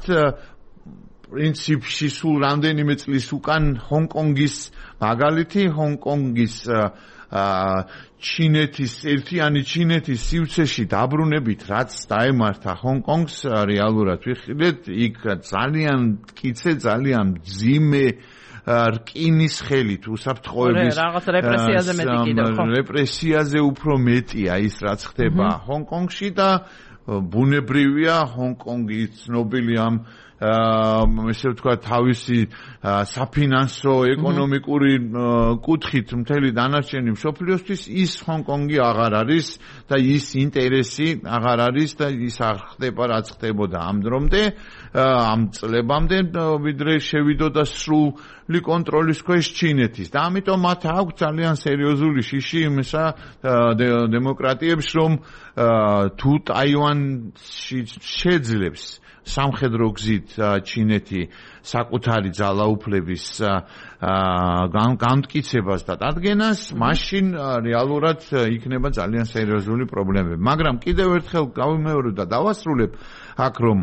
პრინციპში სულ რამდენიმე წლის უკან ჰონკონგის მაგალითი ჰონკონგის ჩინეთის ერთიანი ჩინეთის სივრცეში დაბრუნებით რაც დაემართა ჰონკონგს რეალურად ვიხილეთ იქ ძალიან მტკიცე ძალიან მძიმე რკინის ხელით უსაფრთხოების რაღაც რეპრესიაზე მეტი კიდევ ხო რეპრესიაზე უფრო მეტია ის რაც ხდება ჰონკონგში და ბუნებრივია ჰონკონგი ცნობილი ამ ესე ვთქვა თავისი საფინანსო ეკონომიკური კუთხით მთელი დანარჩენი მსოფლიოსთვის ის ჰონკონგი აღარ არის და ის ინტერესი აღარ არის და ის არ ხდება რაც ხდებოდა ამ დრომდე ამ წლებამდე ვიდრე შევიდოდა სრული კონტროლის ქვეშ ჩინეთის და ამიტომ მათ აქვს ძალიან სერიოზული შიში იმისა დემოკრატიებს რომ თუ ტაივანში შეძლებს სამხედრო გზით ჩინეთი საკუთარი ძალაუფლების განმტკიცებას და დადგენას, მაშინ რეალურად იქნება ძალიან სერიოზული პრობლემები. მაგრამ კიდევ ერთხელ გავიმეორებ და დავასრულებ აქ რომ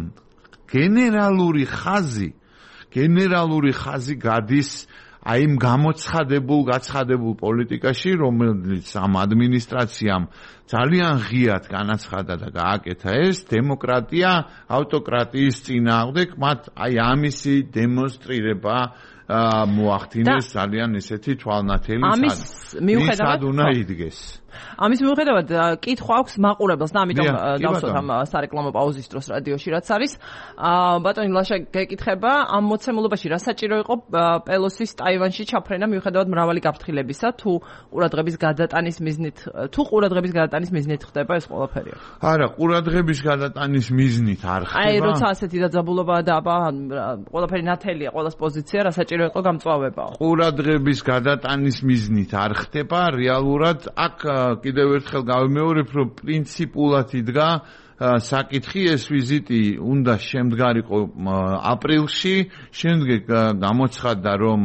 გენერალური ხაზი, გენერალური ხაზი გადის აი იმ გამოცხადებულ, გაცხადებულ პოლიტიკაში, რომელიც ამ ადმინისტრაციამ ძალიან ღიად განაცხადა და გააკეთა ეს დემოკრატია ავტოკრატიის წინააღმდეგ, მათ აი ამისი დემონსტრირება მოახდინეს ძალიან ისეთი თვალნათელი ამის მიუხედავად უნდა იდგეს. ამის მიუხედავად კითხვა აქვს მაყურებელს და ამიტომ დავსვათ ამ სარეკლამო პაუზის დროს რადიოში რაც არის. ბატონი ლაშა გეკითხება ამ მოცემულობაში რა საჭირო იყო პელოსის ტაივანში ჩაფრენა მიუხედავად მრავალი გაფრთხილებისა თუ ყურადღების გადატანის მიზნით თუ ყურადღების გადატანის მიზნით ხდება ეს ყველაფერი? არა, ყურადღების გადატანის მიზნით არ ხდება. აი როცა ასეთი დაძაბულობაა და აბა ყველაფერი ნათელია, ყველას პოზიცია რა საჭირო იყო გამწვავებაო. ყურადღების გადატანის მიზნით არ ხდება, რეალურად აქ კიდევ ერთხელ გავიმეორებ, რომ პრინციპულად იდგა საკითხი ეს ვიზიტი უნდა შემდგარიყო აპრილში, შემდეგ გამოცხადდა რომ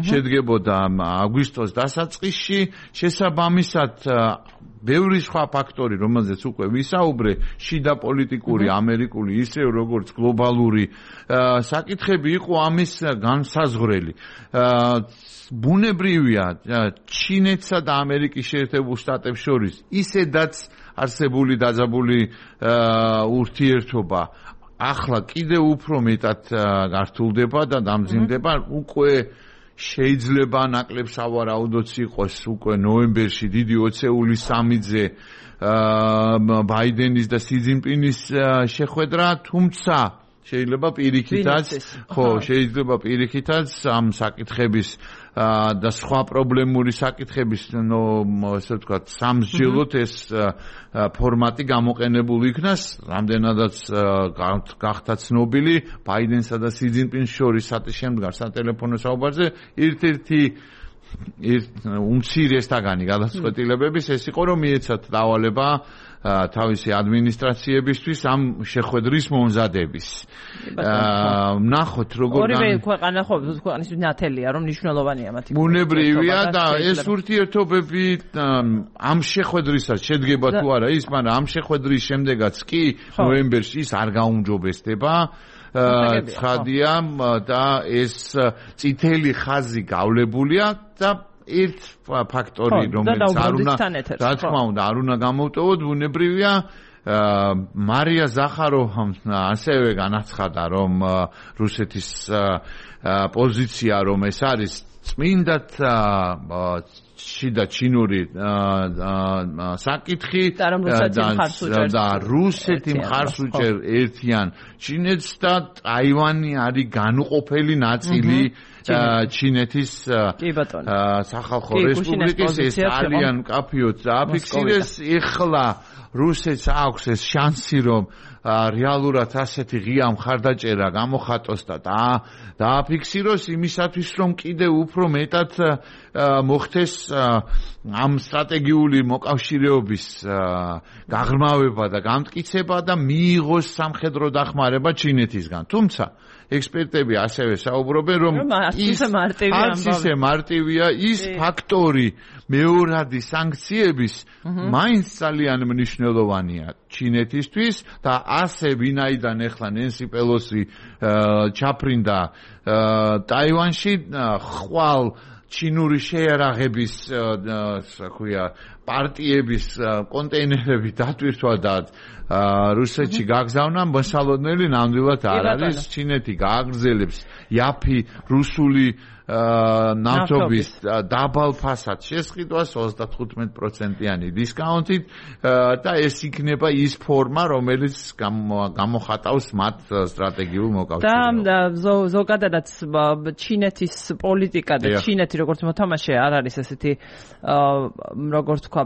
შედგებოდა აგვისტოს დასაწყისში, შესაბამისად ბევრი სხვა ფაქტორი, რომელზეც უკვე ვისაუბრე, შიდა პოლიტიკური, ამერიკული, ისევ როგორც გლობალური საკითხები იყო ამის განსაზღვრელი. ბუნებრივია ჩინეთსა და ამერიკის შეერთებულ შტატებს შორის ისედაც არსებული დაძაბული ურთიერთობა ახლა კიდევ უფრო მეტად გართულდება და დამძიმდება. უკვე შეიძლება ნაკლებ სავარაუდოც იყოს უკვე ნოემბერში დიდი ოცეული სამიძე ბაიდენის და სი ძინპინის შეხვედრა, თუმცა შეიძლება პირიქითაც, ხო, შეიძლება პირიქითაც ამ საკითხების და სხვა პრობლემური საკითხების, ნუ ასე ვთქვათ, სამსჯელოდ ეს ფორმატი გამოყენებული იქნას, რამდენადაც გახდა ცნობილი ბაიდენსა და სი ძინპინს შორის შემდგარ სატელეფონო საუბარზე ერთ-ერთი უმცირესთაგანი გადაწყვეტილებების ეს იყო რომ მიეცათ დავალება თავისი ადმინისტრაციებისთვის ამ შეხვედრის მომზადების. ნახოთ როგორ ორივე ქვეყანა ხო ქვეყნის ნათელია რომ მნიშვნელოვანია მათი. ბუნებრივია და ეს ურთიერთობები ამ შეხვედრისაც შედგება თუ არა ის, მაგრამ ამ შეხვედრის შემდეგაც კი ნოემბერში ის არ გაუმჯობესდება. ცხადია და ეს წითელი ხაზი გავლებულია და ერთ ფაქტორი რომელიც არ უნდა რა თქმა უნდა არ უნდა გამოვტოვოთ ბუნებრივია მარია ზახაროვამ ასევე განაცხადა რომ რუსეთის პოზიცია რომ ეს არის წმინდად შიდა ჩინური საკითხი და რუსეთი მხარს უჭერ ერთიან ჩინეთს და ტაივანი არის განუყოფელი ნაწილი ჩინეთის სახალხო რესპუბლიკის ეს ძალიან მკაფიოდ დააფიქსირეს. ეხლა რუსეთს აქვს ეს შანსი რომ რეალურად ასეთი ღია მხარდაჭერა გამოხატოს და დააფიქსიროს იმისათვის რომ კიდევ უფრო მეტად მოხდეს ამ სტრატეგიული მოკავშირეობის გაღრმავება და გამტკიცება და მიიღოს სამხედრო დახმარება ჩინეთისგან. თუმცა ექსპერტები ასევე საუბრობენ რომ ის ისე მარტივია ის ფაქტორი მეორადი სანქციების მაინც ძალიან მნიშვნელოვანია ჩინეთისთვის და ასე ვინაიდან ახლა ნენსი პელოსი ჩაფრინდა ტაივანში ხვალ ჩინური შეერაღების, ასე ქვია, პარტიების კონტეინერები დატვირთვა და რუსეთში გაგზავნა, მოსალოდნელი ნამდვილად არ არის. ჩინეთი გააგრძელებს იაფი რუსული ნავთობის დაბალ ფასად შესყიდვას ოცდათხუთმეტ პროცენტიანი დისკაუნტით და ეს იქნება ის ფორმა, რომელიც გამოხატავს მათ სტრატეგიულ მოკავშირეობას. და ზოგადადაც ჩინეთის პოლიტიკა და ჩინეთი როგორც მოთამაშე არ არის ესეთი როგორც თქვა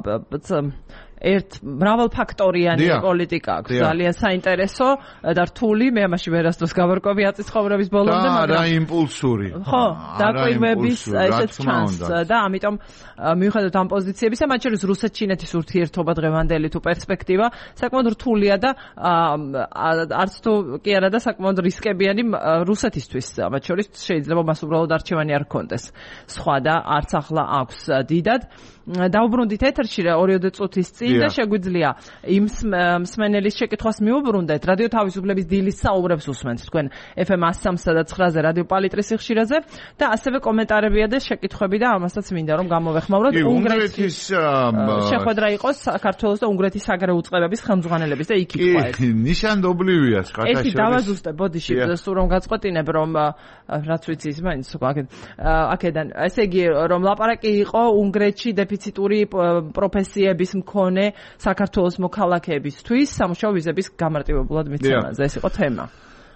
ერთ მრავალფაქტორიანი პოლიტიკა აქვს ძალიან საინტერესო და რთული მე ამაში ვერასდროს გავარკვევი აწის ცხოვრების ბოლომდე მაგრამ არა იმპულსური ხო დაკვირვების ესეც ჩანს და ამიტომ მიუხედავად ამ პოზიციებისა მათ შორის რუსეთ-ჩინეთის ურთიერთობა დღევანდელი თუ პერსპექტივა საკმაოდ რთულია და არც თუ კი არა და საკმაოდ რისკებიანი რუსეთისთვის მათ შორის შეიძლება მას უბრალოდ არჩევანი არ ჰქონდეს სხვა და არც ახლა აქვს დიდად დაუბრუნდით ეთერში ორიოდე წუთის წინ და შეგვიძლია იმ მსმენელის შეკითხვას მიუბრუნდეთ რადიო თავისუფლების დილის საუბრებს უსმენთ თქვენ ეფ ემ one oh three point nine-ზე რადიო პალიტრის სიხშირეზე და ასევე კომენტარებია და შეკითხვები და ამასაც მინდა რომ გამოვეხმაუროთ უნგრეთის შეხვედრა იყოს საქართველოს და უნგრეთის საგარეო უწყებების ხელმძღვანელების და იქ იყო ეს ნიშანდობლივია ხათაშორის ერთი დავაზუსტე ბოდიში სულ რომ გაწყვეტინებ რომ რაც ვიცი ის მაინც აქედან ესე იგი რომ ლაპარაკი იყო უნგრეთში დეფიციტური პროფესიების მქონე საქართველოს მოქალაქეებისთვის სამუშაო ვიზების გამარტივებულად მიცემაზე ეს იყო თემა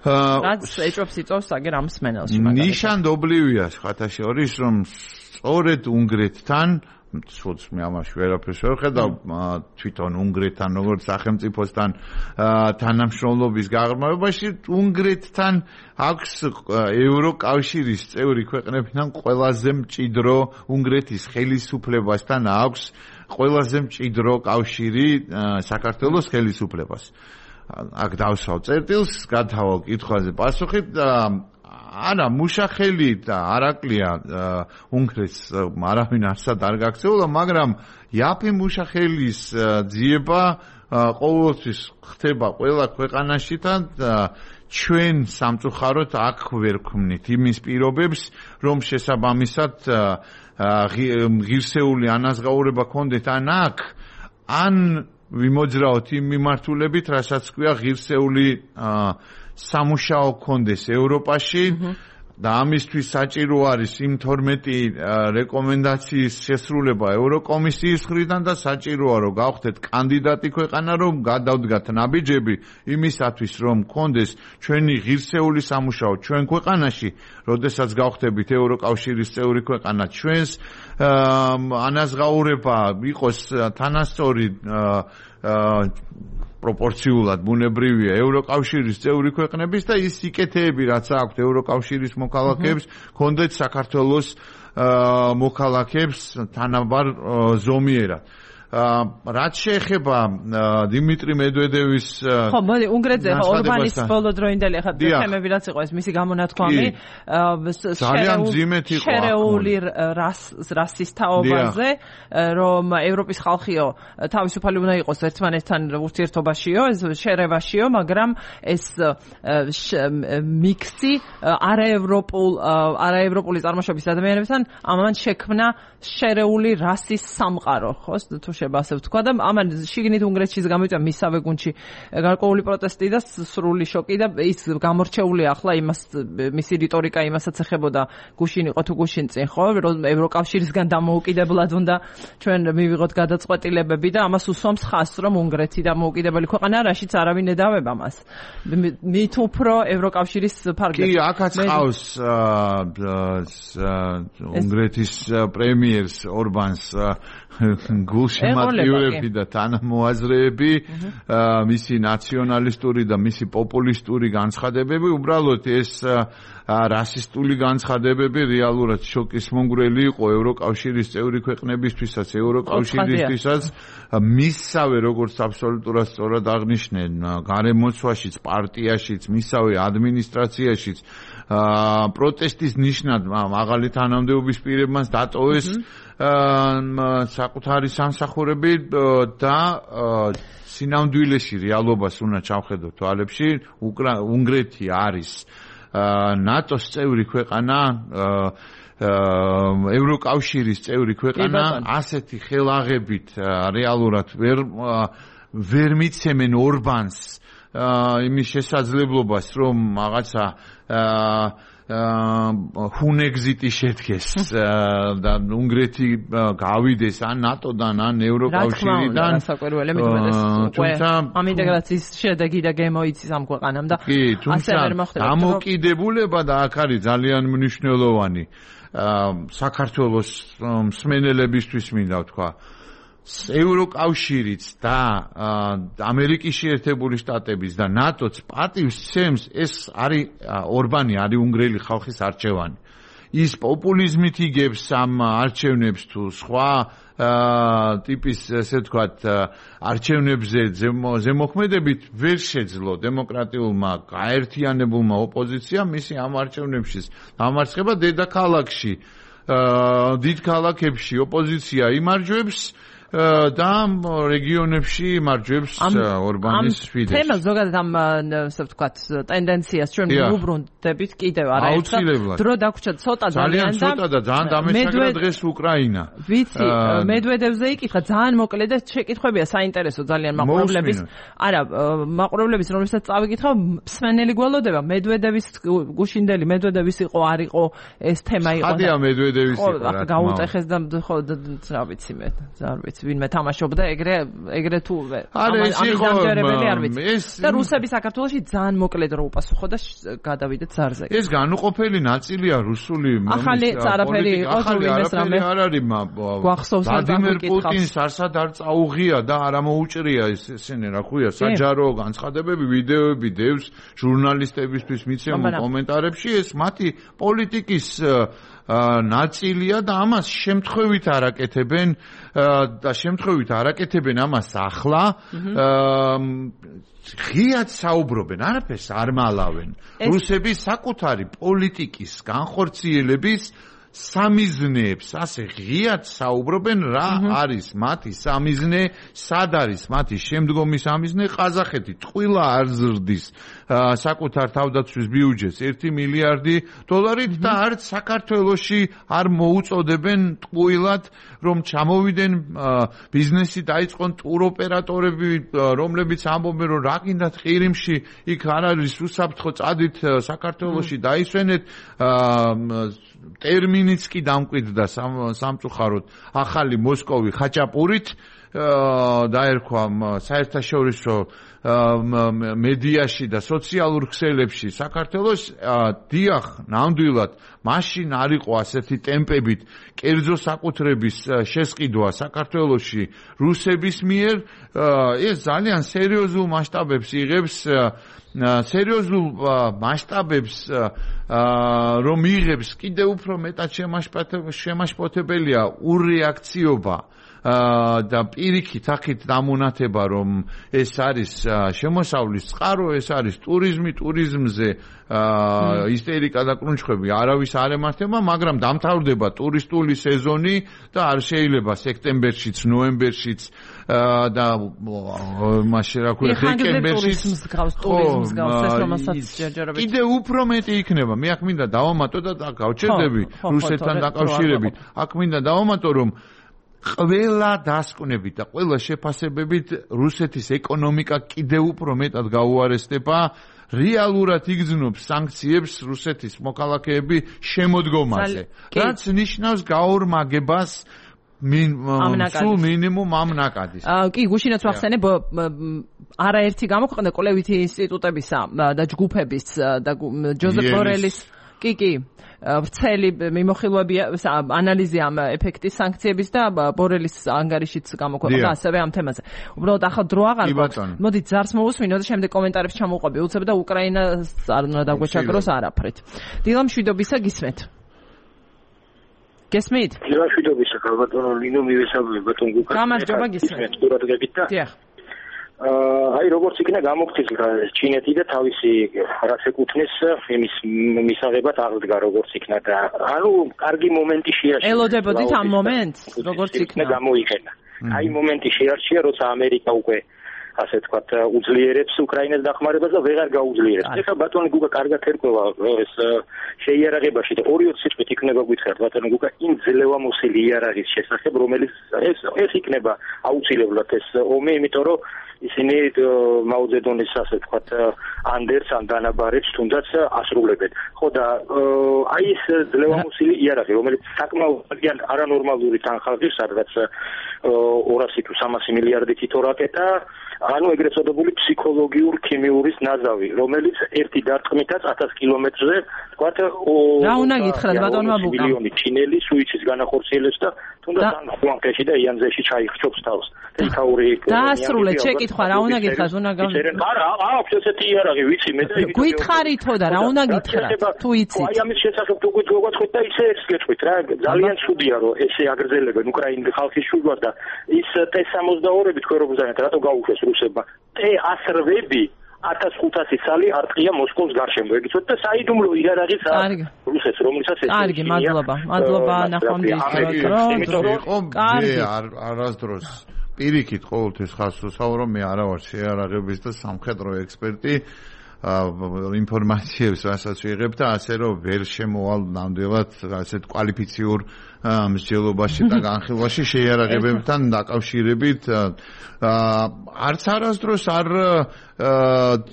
რაც ეჭვებს იწვევს აგერ ამ მსმენელში ნიშანდობლივია ხათაშორის რომ სწორედ უნგრეთთან სულს მე ამაში ვერაფერს ვერ ხედავ თვითონ უნგრეთთან როგორც სახელმწიფოსთან თანამშრომლობის გაღრმავებაში უნგრეთთან აქვს ევროკავშირის წევრი ქვეყნებიდან ყველაზე მჭიდრო უნგრეთის ხელისუფლებასთან აქვს ყველაზე მჭიდრო კავშირი საქართველოს ხელისუფლებას აქ დავსვავ წერტილს გათავალ კითხვაზე პასუხი არა მუშახელი და არაკლია უნგრეთს არავინ არსად არ გაქცეულა მაგრამ იაფი მუშახელის ძიება ყოველთვის ხდება ყველა ქვეყანაში და ჩვენ სამწუხაროდ აქ ვერ ვქმნით იმის პირობებს რომ შესაბამისად ღირსეული ანაზღაურება ქონდეთ ან აქ ან ვიმოძრაოთ იმ მიმართულებით რასაც ქვია ღირსეული სამუშაო კონდეს ევროპაში და ამისთვის საჭირო არის იმ თორმეტი რეკომენდაციის შესრულება ევროკომისიის მხრიდან და საჭიროა რომ გავხდეთ კანდიდატი ქვეყანა რომ გადავდგათ ნაბიჯები იმისათვის რომ კონდეს ჩვენი ღირსეული სამუშაო ჩვენ ქვეყანაში როდესაც გავხდებით ევროკავშირის წევრი ქვეყანა ჩვენს ანაზღაურება იყოს თანასწორი პროპორციულად ბუნებრივია ევროკავშირის წევრი ქვეყნების და ის სიკეთეები რაც აქვთ ევროკავშირის მოქალაქეებს კონდეთ საქართველოს მოქალაქეებს თანაბარ ზომიერად რაც შეეხება დიმიტრი მედვედევის ხო მოდი უნგრეთზე ორბანის ბოლოდროინდელი ახლა თემები რაც იყო ეს მისი გამონათქვამი ძალიან მძიმედ იყო შერეული რასის თაობაზე რომ ევროპის ხალხიო თავისუფალი უნდა იყოს ერთმანეთთან ურთიერთობაშიო ეს შერევაშიო მაგრამ ეს მიქსი არაევროპულ არაევროპული წარმოშობის ადამიანებთან ამან შექმნა შერეული რასის სამყარო ხო თუ შეიძლება ასე ვთქვა და ამან შიგნით უნგრეთშიც გამიწვა მისავე გუნდში გარკვეული პროტესტი და სრული შოკი და ის გამორჩეული ახლა იმას მისი რიტორიკა იმასაც ეხებოდა გუშინ იყო თუ გუშინ წინ ხო რომ ევროკავშირისგან დამოუკიდებლად უნდა ჩვენ მივიღოთ გადაწყვეტილებები და ამას უსვამს ხაზს რომ უნგრეთი დამოუკიდებელი ქვეყანა რაშიც არავინ ედავება მას მით უფრო ევროკავშირის ფარგლებში კი აქაც ყავს უნგრეთის პრემიერს ორბანს გულშემატკივრები და თანამოაზრეები მისი ნაციონალისტური და მისი პოპულისტური განცხადებები უბრალოდ ეს რასისტული განცხადებები რეალურად შოკის მომგვრელი იყო ევროკავშირის წევრი ქვეყნებისთვისაც ევროკავშირისთვისაც მისსავე როგორც აბსოლუტურად სწორად აღნიშნენ გარემოცვაშიც პარტიაშიც მისსავე ადმინისტრაციაშიც პროტესტის ნიშნად მაღალი თანამდებობის პირებმაც დატოვეს საკუთარი სამსახურები და სინამდვილეში რეალობას უნდა ჩავხედოთ თვალებში უნგრეთი არის ნატოს წევრი ქვეყანა ევროკავშირის წევრი ქვეყანა ასეთი ხელაღებით რეალურად ვერ ვერ მიცემენ ორბანს იმის შესაძლებლობას რომ რაღაცა ჰუნეგზიტი შედგეს და უნგრეთი გავიდეს ან ნატოდან ან ევროკავშირიდან თუმცა ამ ინტეგრაციის შედეგი და გემოიცის ამ ქვეყანამ და ასე ვერ მოხდება დამოკიდებულება და აქ არის ძალიან მნიშვნელოვანი საქართველოს მსმენელებისთვის მინდა ვთქვა ევროკავშირიც და ამერიკის შეერთებული შტატების და ნატოც პატივს სცემს ეს არის ორბანი არის უნგრელი ხალხის არჩევანი ის პოპულიზმით იგებს ამ არჩევნებს თუ სხვა ტიპის ესე ვთქვათ არჩევნებზე ზემოქმედებით ვერ შეძლო დემოკრატიულმა გაერთიანებულმა ოპოზიციამ მისი ამ არჩევნებში დამარცხება დედაქალაქში დიდ ქალაქებში ოპოზიცია იმარჯვებს და რეგიონებში მარჯვებს ორბანის ფიდესს. თემა ზოგადად ამ ასე ვთქვათ ტენდენციას ჩვენ ვუბრუნდებით კიდევ არაერთხელ. დრო დაგვრჩა ცოტა ძალიან და ცოტა და ძალიან დამეჩაგრა დღეს უკრაინა. ვიცი, მედვედევზე იკითხა ძალიან მოკლედ და შეკითხვებია საინტერესო ძალიან მაყურებლების. არა, მაყურებლების რომელსაც წავიკითხავ, მსმენელი გველოდება მედვედევის გუშინდელი მედვედევის იყო არ იყო ეს თემა იყო. ხადია მედვედევის იყო რა. გაუტეხეს და ხო რა ვიცი მე, არ ვიცი. ვინმე თამაშობდა ეგრე ეგრე თუ ამის დამჯერებელი არ ვიცი და რუსები საქართველოში ძალიან მოკლედ რო უპასუხო და გადავიდეთ ზარზე ეს განუყოფელი ნაწილია რუსული ახალი არაფერი იყო თუ ვინმეს რამე არ არის გვახსოვს ვლადიმერ პუტინს არსად არ წაუღია და არ ამოუჭრია ესენი რა ქვია საჯარო განცხადებები ვიდეოები დევს ჟურნალისტებისთვის მიცემულ კომენტარებში ეს მათი პოლიტიკის ნაწილია და ამას შემთხვევით არაკეთებენ და შემთხვევით არაკეთებენ ამას ახლა ღიად საუბრობენ არაფერს არ მალავენ რუსები საკუთარი პოლიტიკის განხორციელების სამიზნეებს ასე ღიად საუბრობენ რა არის მათი სამიზნე სად არის მათი შემდგომი სამიზნე ყაზახეთი ტყუილა არ ზრდის საკუთარ თავდაცვის ბიუჯეტს ერთი მილიარდი დოლარით და არც საქართველოში არ მოუწოდებენ ტყუილად რომ ჩამოვიდნენ ბიზნესი დაიწყონ ტუროპერატორები რომლებიც ამბობენ რომ რა გინდათ ყირიმში იქ არ არის უსაფრთხო წადით საქართველოში დაისვენეთ ტერმინიც კი დამკვიდრდა სამწუხაროდ ახალი მოსკოვი ხაჭაპურით დაერქვა საერთაშორისო მედიაში და სოციალურ ქსელებში საქართველოს დიახ ნამდვილად მაშინ არ იყო ასეთი ტემპებით კერძო საკუთრების შესყიდვა საქართველოში რუსების მიერ ეს ძალიან სერიოზულ მასშტაბებს იღებს სერიოზულ მასშტაბებს რომ იღებს კიდევ უფრო მეტად შემაშფოთებელია ურეაქციობა და პირიქით ახით დამონათება რომ ეს არის შემოსავლის წყარო ეს არის ტურიზმი ტურიზმზე ისტერიკა და კრუნჩხვები არავის არ ემართება მაგრამ დამთავრდება ტურისტული სეზონი და არ შეიძლება სექტემბერშიც ნოემბერშიც და მაშინ რა ქვია დეკემბერშიც ტურიზმს გავს ეს რომელსაც ჯერჯერობით კიდე უფრო მეტი იქნება მე აქ მინდა დავამატო და გავჩერდები რუსეთთან დაკავშირებით აქ მინდა დავამატო რომ ყველა დასკვნებით და ყველა შეფასებებით რუსეთის ეკონომიკა კიდევ უფრო მეტად გაუარესდება რეალურად იგრძნობს სანქციებს რუსეთის მოქალაქეები შემოდგომაზე რაც ნიშნავს გაორმაგებას სულ მინიმუმ ამ ნაკადის კი გუშინაც ვახსენებ არაერთი გამოქვეყნდა კვლევითი ინსტიტუტებისა და ჯგუფების და ჯოზეფ ბორელის კი კი ვრცელი მიმოხილვები ანალიზი ამ ეფექტის სანქციების და ბორელის ანგარიშიც გამოქვეყნდა ასევე ამ თემაზე. უბრალოდ ახლა დრო აღარ გვაქვს. მოდით ზარს მოусმინოთ და შემდეგ კომენტარებს ჩამოვყვები. უცებ და უკრაინას არ უნდა დაგვეჩაგროს არაფრით. დილა მშვიდობისა გისმენთ. გესმით? დილა მშვიდობისა ბატონო ლინო მივესალმები ბატონ გუკა. გამარჯობა გისმენთ. ყურადღებით და დიახ. აი როგორც იქნა გამოგცილდა ჩინეთი და თავისი რაც ეკუთვნის იმის მისაღებად აღდგა როგორც იქნა და ანუ კარგი მომენტი შეარჩია ელოდებოდით ამ მომენტს როგორც იქნა გამოიყენა აი მომენტი შეარჩია როცა ამერიკა უკვე ასე თქვათ უძლიერებს უკრაინას დახმარებას და ვეღარ გაუძლიერებს. ეხლა ბატონი გუგა კარგად ერკვევა ეს შეიარაღებაში და ორი წუთით იქნება გითხართ ბატონი გუგა იმ ძლევამოსილი იარაღის შესახებ რომელიც ეს ეს იქნება აუცილებლად ეს ომი, იმიტომ რომ ისინი მაუძედონის ასე თქვათ ანდერს ან დანაბარებს თუნდაც ასრულებენ. ხო და აი ეს ძლევამოსილი იარაღი, რომელიც საკმაოდ არანორმალური თანხმობის, სადაც ორასი თუ სამასი მილიარდი თითო რაკეტა, ანუ ეგრეთ წოდებული ფსიქოლოგიურ ქიმიურის ნაზავი, რომელიც ერთი დარტყმითაც ათას კილომეტრზე თქვათ რა უნდა გითხრათ ბატონმა ბუკა მილიონი ჩინელი სუიცის განახორციელებს და თუნდაც ან ხუანკეში და იანზეში ჩაიხჩობს თავს. თითაური დაასრულეთ შეკითხვა, რა უნდა გითხრათ, უნდა გამ არა, აქვს ესეთი იარაღი, ვიცი მე და გითხარითო და რა უნდა გითხრათ, თუ იცით. აი ამის შესახებ თუ გითხოვთ და ისე ეს გეტყვით რა, ძალიან ცუდია რომ ესე აგრძელებენ უკრაინის ხალხის შუბლად და ის ტე სამოცდაორი თქვენ როგორ ზანეთ, რატო გაუშვეს რუსებმა? ტე ასრვები ათას ხუთასი წალი არტყია მოსკოვის გარშემო. ეგიცოთ და საიდუმლო იარაღის რუსეთს, რომელსაც ეს კარგი, მადლობა. მადლობა ნახვამდის დრო. კარგი, არასდროს პირიქით ყოველთვის ხას ვსაუბრობ, მე არა ვარ შეიარაღების და სამხედრო ექსპერტი. ინფორმაციებს რასაც ვიღებ და ასე რომ ვერ შემოვალ ნამდვილად ასეთ კვალიფიციურ მსჯელობაში და განხილვაში შეიარაღებებთან დაკავშირებით არც არასდროს არ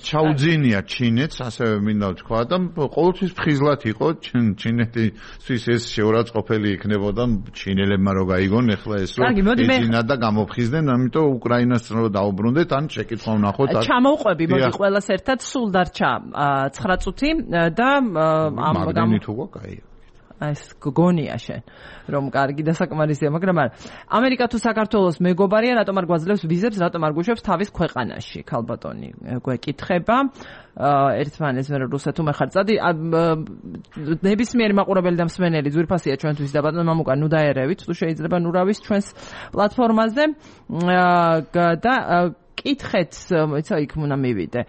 ჩაუძინია ჩინეთს, ასევე მინდა ვთქვა და ყოველთვის ფხიზლად იყო ჩინეთისთვის ეს შეურაცხყოფელი იქნებოდა ჩინელებმა რო გაიგონ ეხლა ეს რომ ეძინა და გამოფხიზდნენ, ამიტომ უკრაინას რო დაუბრუნდეთ, ან შეკითხვა ვნახოთ. ჩამოვყვები მოდი ყველას ერთად, სულ დარჩა ცხრა წუთი და ამ მაგდენი თუ გაიგო ეს გგონია შენ რომ კარგი დასაკმარისია, მაგრამ არა ამერიკა თუ საქართველოს მეგობარია, რატომ არ გვაძლევს ვიზებს, რატომ არ გუშვებს თავის ქვეყანაში? ქალბატონი გვეკითხება ერთმანეთს მე რუსეთუ მეხარ წადი ნებისმიერი მაყურებელი და მსმენელი ძვირფასია ჩვენთვის და ბატონო მამუკა ნუ დაერევით თუ შეიძლება ნუ რავის ჩვენს პლატფორმაზე და კითხეთ, იცი იქ უნდა მივიდე.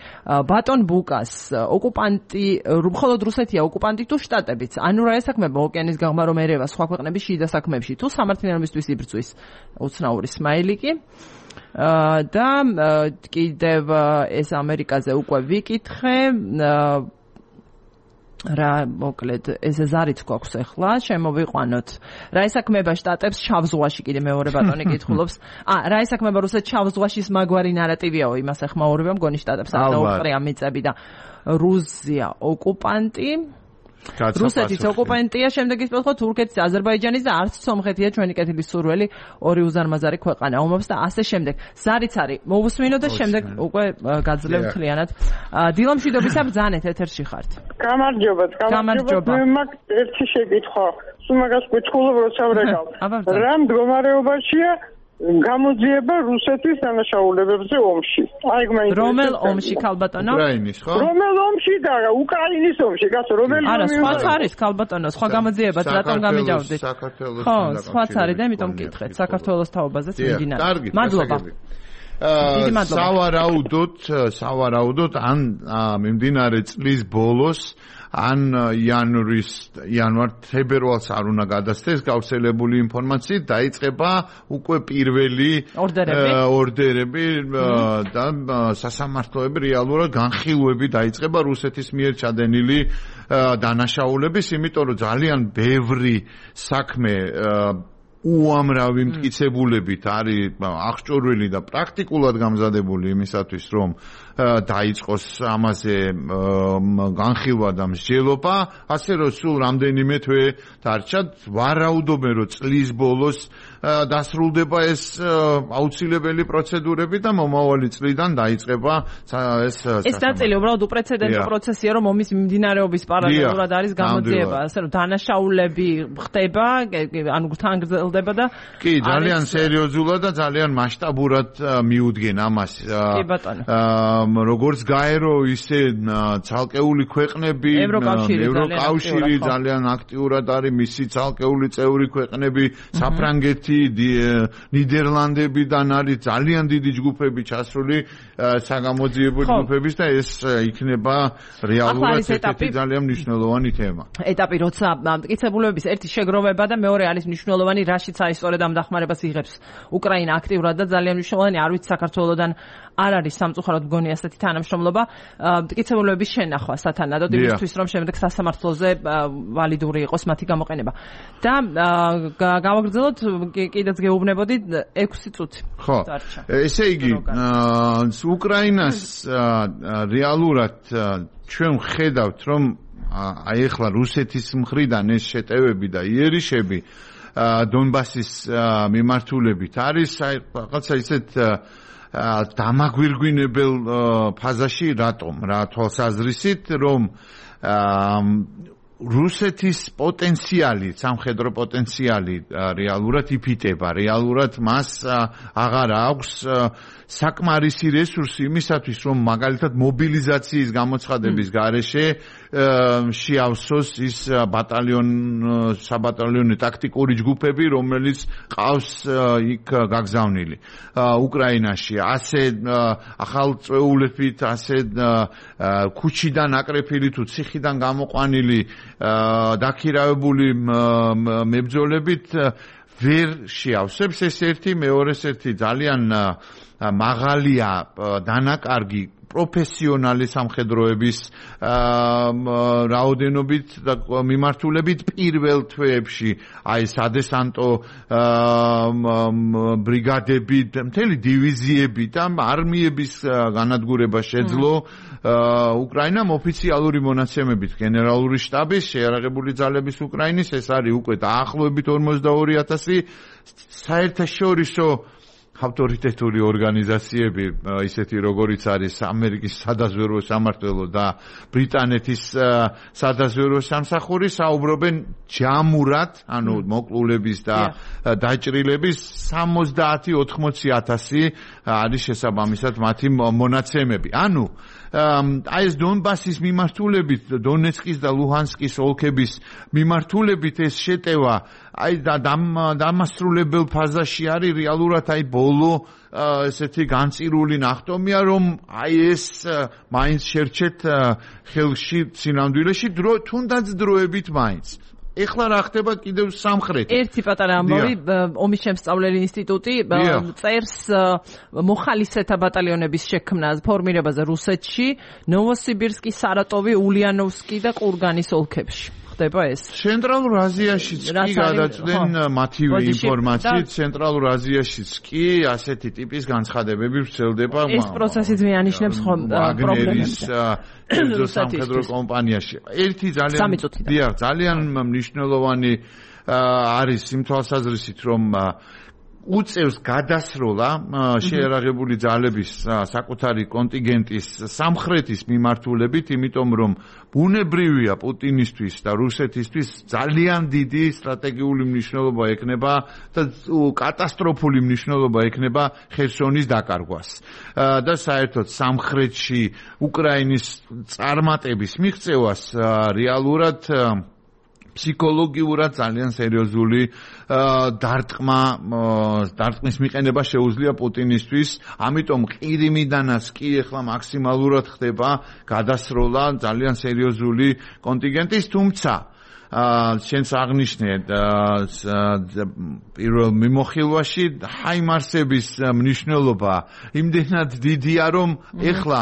ბატონ ბუკას ოკუპანტი, მხოლოდ რუსეთია ოკუპანტი თუ შტატებიც? ანუ რა ესაქმება ოკეანის გაღმა რომ ერევა სხვა ქვეყნების შიდა საქმეებში თუ სამართლიანობისთვის იბრძვის? უცნაური სმაილიკი. და კიდევ ეს ამერიკაზე უკვე ვიკითხე. რა მოკლედ ეს ზარიც გვაქვს ახლა შემოვიყვანოთ რა ესაქმება შტატებს შავ ზღვაში კიდე მეორე ბატონი კითხულობს ა რა ესაქმება რუსეთს შავ ზღვაშის მაგვარი ნარატივიაო იმას ეხმაურება მგონი შტატებს არ დაუყრია მიწები და რუსია ოკუპანტი რუსეთის ოკუპანტია, შემდეგ ის პოთხო თურქეთის, აზერბაიჯანის და არც სომხეთია ჩვენი კეთილის სურველი, ორი უზარმაზარი ქვეყანა ომობს და ასე შემდეგ. ზარიც არის მოვუსმინო და შემდეგ უკვე გაძლევ მთლიანად. დილამშვიდობისა ბრძანეთ ეთერში ხართ. გამარჯობათ, გამარჯობათ. მე მაგ ერთი შეკითხვა. სულ მაგას გითხულობ როცა ვრეკავ. რა მდგომარეობაშია გამოძიება რუსეთის დანაშაულებებზე ომში. აი მაინც რომელ ომში ქალბატონო? უკრაინის, ხო? რომელ ომში და უკრაინის ომში, გასო რომელი არა, სხვაც არის ქალბატონო, სხვა გამოძიებაც რატომ გამიჯავდით? საქართველოს ხო, სხვაც არის და იმიტომ მკითხეთ, საქართველოს თაობაზეც მიმდინარე. მადლობა. აა სავარაუდოდ, სავარაუდოდ ან მიმდინარე წლის ბოლოს ან იანვრის იანვარ-თებერვალს არ უნდა გადასცეს გავრცელებული ინფორმაციით დაიწყება უკვე პირველი ორდერები და სასამართლოები რეალურად განხილვები დაიწყება რუსეთის მიერ ჩადენილი დანაშაულების, იმიტომ რომ ძალიან ბევრი საქმე უამრავი მტკიცებულებით არის აღჭურვილი და პრაქტიკულად გამზადებული იმისათვის, რომ დაიწყოს ამაზე განხილვა და მსჯელობა, ასე რომ სულ რამდენიმე თვე დარჩა, ვარაუდობენ, რომ წლის ბოლოს დასრულდება ეს აუცილებელი პროცედურები და მომავალი წლიდან დაიწყება ეს ეს ნაწილი უბრალოდ უპრეცედენტო პროცესია, რომ ომის მიმდინარეობის პარალელურად არის გამოძიება, ასე რომ დანაშაულები ხდება, ანუ თან გრძელდება და კი, ძალიან სერიოზულად და ძალიან მასშტაბურად მიუდგენ ამას. კი ბატონო. როგორც გაერო, ისე ცალკეული ქვეყნები, ევროკავშირი ძალიან აქტიურად არის, მისი ცალკეული წევრი ქვეყნები, საფრანგეთი, ნიდერლანდებიდან არის ძალიან დიდი ჯგუფები ჩასული საგამოძიებო ჯგუფების და ეს იქნება რეალურად ერთ-ერთი ძალიან მნიშვნელოვანი თემა. ეტაპი, როცა მტკიცებულებების ერთი შეგროვება და მეორე არის მნიშვნელოვანი, რაშიც აი სწორედ ამ დახმარებას იღებს უკრაინა აქტიურად და ძალიან მნიშვნელოვანი, არ ვიცი საქართველოსდან არ არის სამწუხაროდ მგონი ასეთი თანამშრომლობა მტკიცებულებების შენახვა სათანადოდ იმისთვის რომ შემდეგ სასამართლოზე ვალიდური იყოს მათი გამოყენება და გავაგრძელოთ კიდეც გეუბნებოდი ექვსი წუთი ხო ესე იგი უკრაინას რეალურად ჩვენ ვხედავთ რომ აი ახლა რუსეთის მხრიდან ეს შეტევები და იერიშები დონბასის მიმართულებით არის აი რაღაცა ისეთ დამაგვირგვინებელ ფაზაში რატომ რა თვალსაზრისით რომ რუსეთის პოტენციალი, სამხედრო პოტენციალი რეალურად იფიტება, რეალურად მას აღარ აქვს საკმარისი რესურსი იმისათვის, რომ მაგალითად მობილიზაციის გამოცხადების გარეშე შეავსოს ის ბატალიონ საბატალიონო ტაქტიკური ჯგუფები, რომელიც ყავს იქ გაგზავნილი უკრაინაში. ასე ახალ წვეულებით, ასე ქუჩიდან აკრეფილი თუ ციხიდან გამოყვანილი დაქირავებული მებრძოლებით ვერ შეავსებს ეს ერთი, მეორეს ერთი ძალიან მაღალია დანაკარგი პროფესიონალი სამხედროების რაოდენობით და მიმართულებით პირველ თვეებში აი სადესანტო ბრიგადები, მთელი დივიზიები და არმიების განადგურება შეძლო უკრაინამ ოფიციალური მონაცემებით გენერალური შტაბის შეიარაღებული ძალების უკრაინის ეს არის უკვე დაახლოებით ორმოცდაორი ათასი საერთაშორისო ავტორიტეტული ორგანიზაციები ისეთი როგორიც არის ამერიკის სადაზვერვო სამმართველო და ბრიტანეთის სადაზვერვო სამსახური საუბრობენ ჯამურად, ანუ მოკლულების და დაჭრილების სამოცდაათი ოთხმოცი ათასი არის შესაბამისად მათი მონაცემები. ანუ აი ეს დონბასის მიმართულებით, დონეცკის და ლუჰანსკის ოლქების მიმართულებით ეს შეტევა აი დამასრულებელ ფაზაში არის რეალურად აი ბოლო ესეთი განწირული ნახტომია რომ აი ეს მაინც შერჩეთ ხელში სინამდვილეში დრო თუნდაც დროებით მაინც ეხლა რა ხდება კიდევ სამხრეთით. ერთი პატარა ამბავი, ომის შემსწავლელი ინსტიტუტი წერს მოხალისეთა ბატალიონების შექმნას, ფორმირებაზე რუსეთში, ნოვოსიბირსკი, სარატოვი, ულიანოვსკი და ყურგანის ოლქებში. ხდება ეს? ცენტრალურ აზიაშიც კი გადაწყვეტენ მათივე ინფორმაციით, ცენტრალურ აზიაშიც კი ასეთი ტიპის განცხადებები ვრცელდება. ეს პროცესიც მეანიშნებს პრობლემებს სამხედრო კომპანიაში. ერთი ძალიან დიახ, ძალიან მნიშვნელოვანი არის იმ თვალსაზრისით, რომ უწევს გადასროლა შეიარაღებული ძალების საკუთარი კონტინგენტის სამხრეთის მიმართულებით, იმიტომ რომ ბუნებრივია პუტინისთვის და რუსეთისთვის ძალიან დიდი სტრატეგიული მნიშვნელობა ექნება და კატასტროფული მნიშვნელობა ექნება ხერსონის დაკარგვას. და საერთოდ სამხრეთში უკრაინის წარმატების მიღწევას რეალურად ფსიქოლოგიურად ძალიან სერიოზული დარტყმა დარტყმის მიყენება შეუძლია პუტინისთვის, ამიტომ ყირიმიდანაც კი ახლა მაქსიმალურად ხდება გადასროლა ძალიან სერიოზული კონტინგენტის, თუმცა შენს აღნიშნე პირველ მიმოხილვაში ჰაიმარსების მნიშვნელობა იმდენად დიდია, რომ ეხლა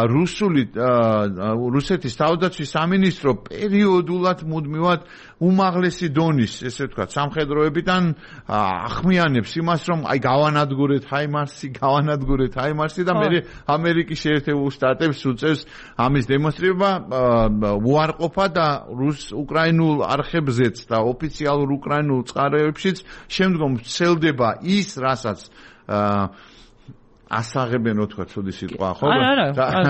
რუსული რუსეთის თავდაცვის სამინისტრო პერიოდულად მუდმივად უმაღლესი დონის, ესე ვთქვათ, სამხედროებიდან ახმიანებს იმას, რომ აი გავანადგურეთ ჰაიმარსი, გავანადგურეთ ჰაიმარსი და მე ამერიკის შეერთებულ შტატებს უწევს ამის დემონსტრირება უარყოფა და რუს უკრაინულ არხებზეც და ოფიციალურ უკრაინულ წყაროებშიც შემდგომ ვრცელდება ის, რასაც ასაღებენ, თქვა, ცუდი სიტყვა, ხო?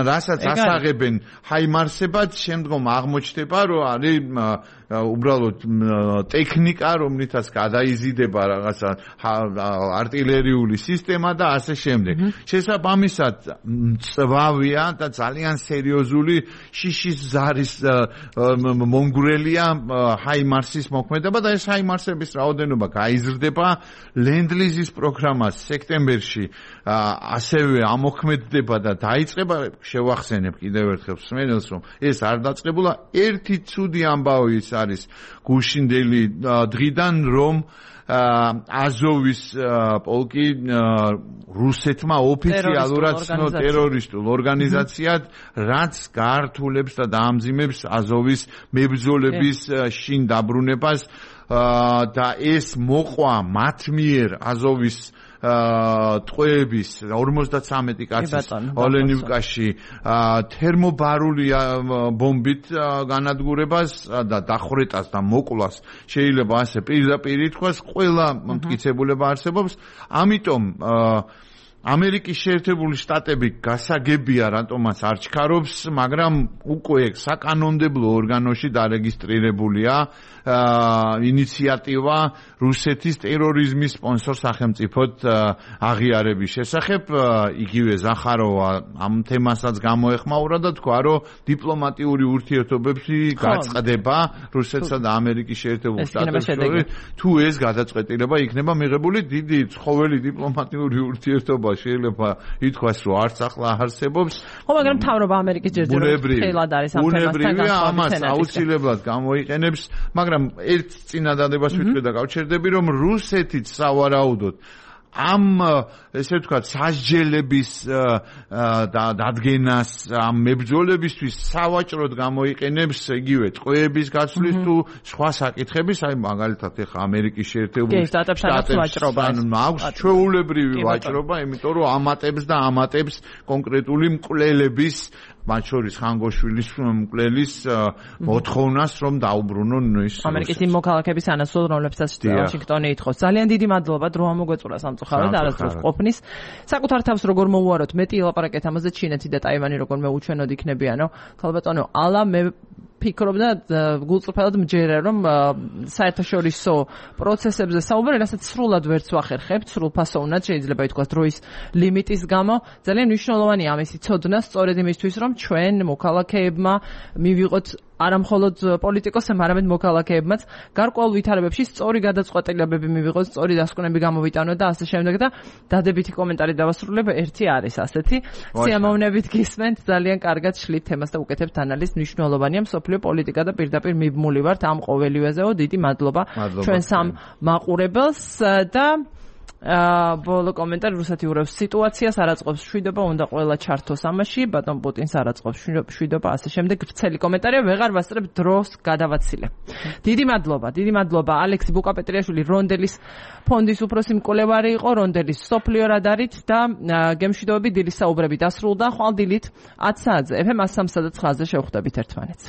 რასაც ასაღებენ ჰაიმარსებად, შემდგომ აღმოჩნდება, რომ არის უბრალოდ ტექნიკა, რომლითაც გადაიზიდება რაღაცა артиლერიული სისტემა და ასე შემდეგ. შესაბამისად, მწვავეა და ძალიან სერიოზული შიშის ზარის მონგრელია ჰაიმარსის მოქმედება და ეს ჰაიმარსების რაოდენობა გაიზრდება. ლენდლიზის პროგრამა სექტემბერში ასევე ამოქმედდება და დაიწყება. შევახსენებ კიდევ ერთხელ მსმენელს, რომ ეს არ დაწყებულა. ერთი ცუდი ამბავი ის არის გუშინდელი დღიდან რომ აზოვის პოლკი რუსეთმა ოფიციალურად ცნო ტერორისტულ ორგანიზაციად, რაც გაართულებს და დაამძიმებს აზოვის მებრძოლების შინ დაბრუნებას და ეს მოყვა მათ მიერ აზოვის ტყვეების ორმოცდათვრამეტი კაცის ოლენივკაში თერმობარული ბომბით განადგურებას და დახვრეტას და მოკლას შეიძლება ასე პირდაპირ ითქვას, ყველა მტკიცებულება არსებობს, ამიტომ ამერიკის შეერთებული შტატები გასაგებია რატომაც არ ჩქარობს, მაგრამ უკვე საკანონმდებლო ორგანოში დარეგისტრირებულია ინიციატივა რუსეთის ტერორიზმის სპონსორ სახელმწიფოდ აღიარების შესახებ. იგივე ზახაროვა ამ თემასაც გამოეხმაურა და თქვა, რომ დიპლომატიური ურთიერთობები გაწყდება რუსეთსა და ამერიკის შეერთებულ შტატებს შორის. თუ ეს გადაწყვეტილება იქნება მიღებული, დიდი ცხოველი დიპლომატიური ურთიერთობა შეიძლება ითქვას, რომ არც ახლა არსებობს. ხო, მაგრამ მთავრობა ამერიკის ჯერჯერობით ხელად არის ამ თემასთან ბუნებრივია, ამას აუცილებლად გამოიყენებს, მაგრამ ერთ წინადადებას ვიტყვი და გავჩერდები, რომ რუსეთიც სავარაუდოდ ამ ესე ვთქვათ სასჯელების დადგენას ამ მებრძოლებისთვის სავაჭროდ გამოიყენებს იგივე ტყვეების გაცვლის თუ სხვა საკითხების, აი მაგალითად ეხა ამერიკის შეერთებული შტატებში აქვს ჩვეულებრივი ვაჭრობა, იმიტომ რომ ამატებს და ამატებს კონკრეტული მკვლელების, მათ შორის ხანგოშვილის მკვლელის მოთხოვნას, რომ დაუბრუნონ ის ამერიკის იმ მოქალაქეების ანაცვლოდ, რომლებსაც ვაშინგტონი ითხოვს. ძალიან დიდი მადლობა დრო ამოგვეწურა სამწუხაროდ არასდროს ყოფნის. საკუთარ თავს როგორ მოუაროთ, მეტი ელაპარაკეთ ამაზე, ჩინეთი და ტაივანი როგორ მეუჩვენოდ იქნებიანო. ქალბატონო, ალა მე ფიქრობდა გულწრფელად მჯერა, რომ საერთაშორისო პროცესებზე საუბარი, რასაც სრულად ვერც ვახერხებთ, სრულფასოვნად შეიძლება ითქვას დროის ლიმიტის გამო. ძალიან მნიშვნელოვანია ამისი ცოდნა, სწორედ იმისთვის, რომ ჩვენ მოქალაქეებმა მივიღოთ არა მხოლოდ პოლიტიკოსებმა, არამედ მოქალაქეებმაც გარკვეულ ვითარებებში სწორი გადაწყვეტილებები მივიღოთ, სწორი დასკვნები გამოვიტანოთ და ასე შემდეგ და დადებითი კომენტარი დავასრულებ, ერთი არის ასეთი. სიამოვნებით გისმენთ, ძალიან კარგად შლით თემას და უკეთებთ ანალიზს, მნიშვნელოვანია მსოფლიო პოლიტიკა და პირდაპირ მიბმული ვართ ამ ყოველივეზეო. დიდი მადლობა ჩვენ სამ მაყურებელს და ბოლო კომენტარი, რუსეთი ურევს სიტუაციას, არ აწყობს შვიდობა, უნდა ყველა ჩართოს ამაში, ბატონ პუტინს არ აწყობს შვიდობა, ასე შემდეგ. ვრცელი კომენტარია, ვეღარ ვასწრებ, დროს გადავაცილე. დიდი მადლობა, დიდი მადლობა ალექსი ბუკაპეტრიაშვილი, რონდელის ფონდის უფროსი მკვლევარი იყო, რონდელის სოფლიო რადარით და გემშვიდობები, დილის საუბრები დასრულდა. ხვალ დილით ათ საათზე ეფ ემ ას სამსა და ცხრაზე შევხვდებით ერთმანეთს.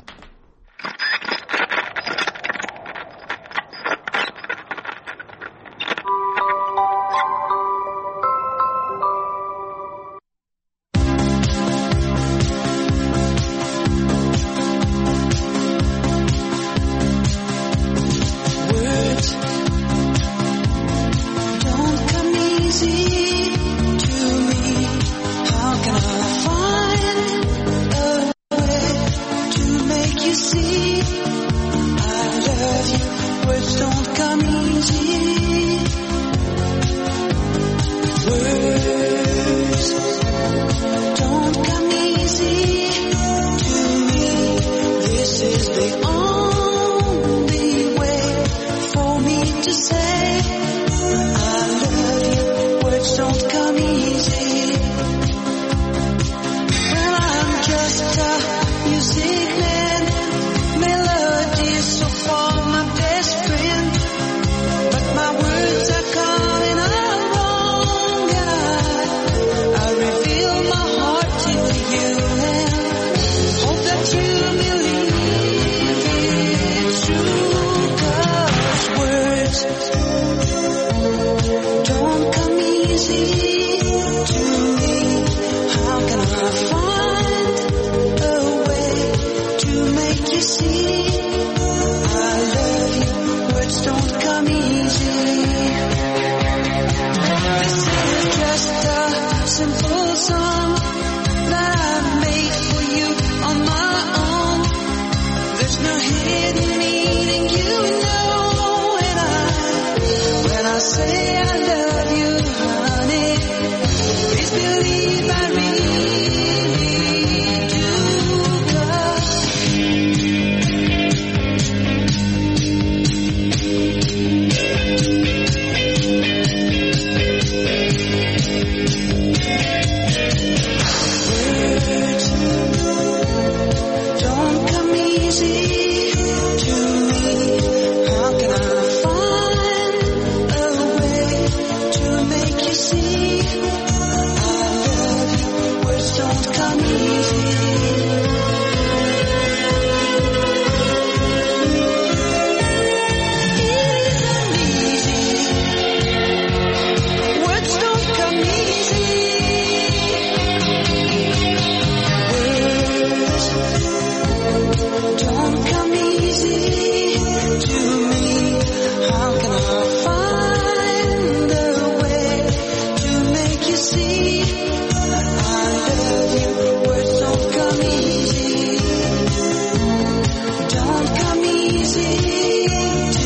see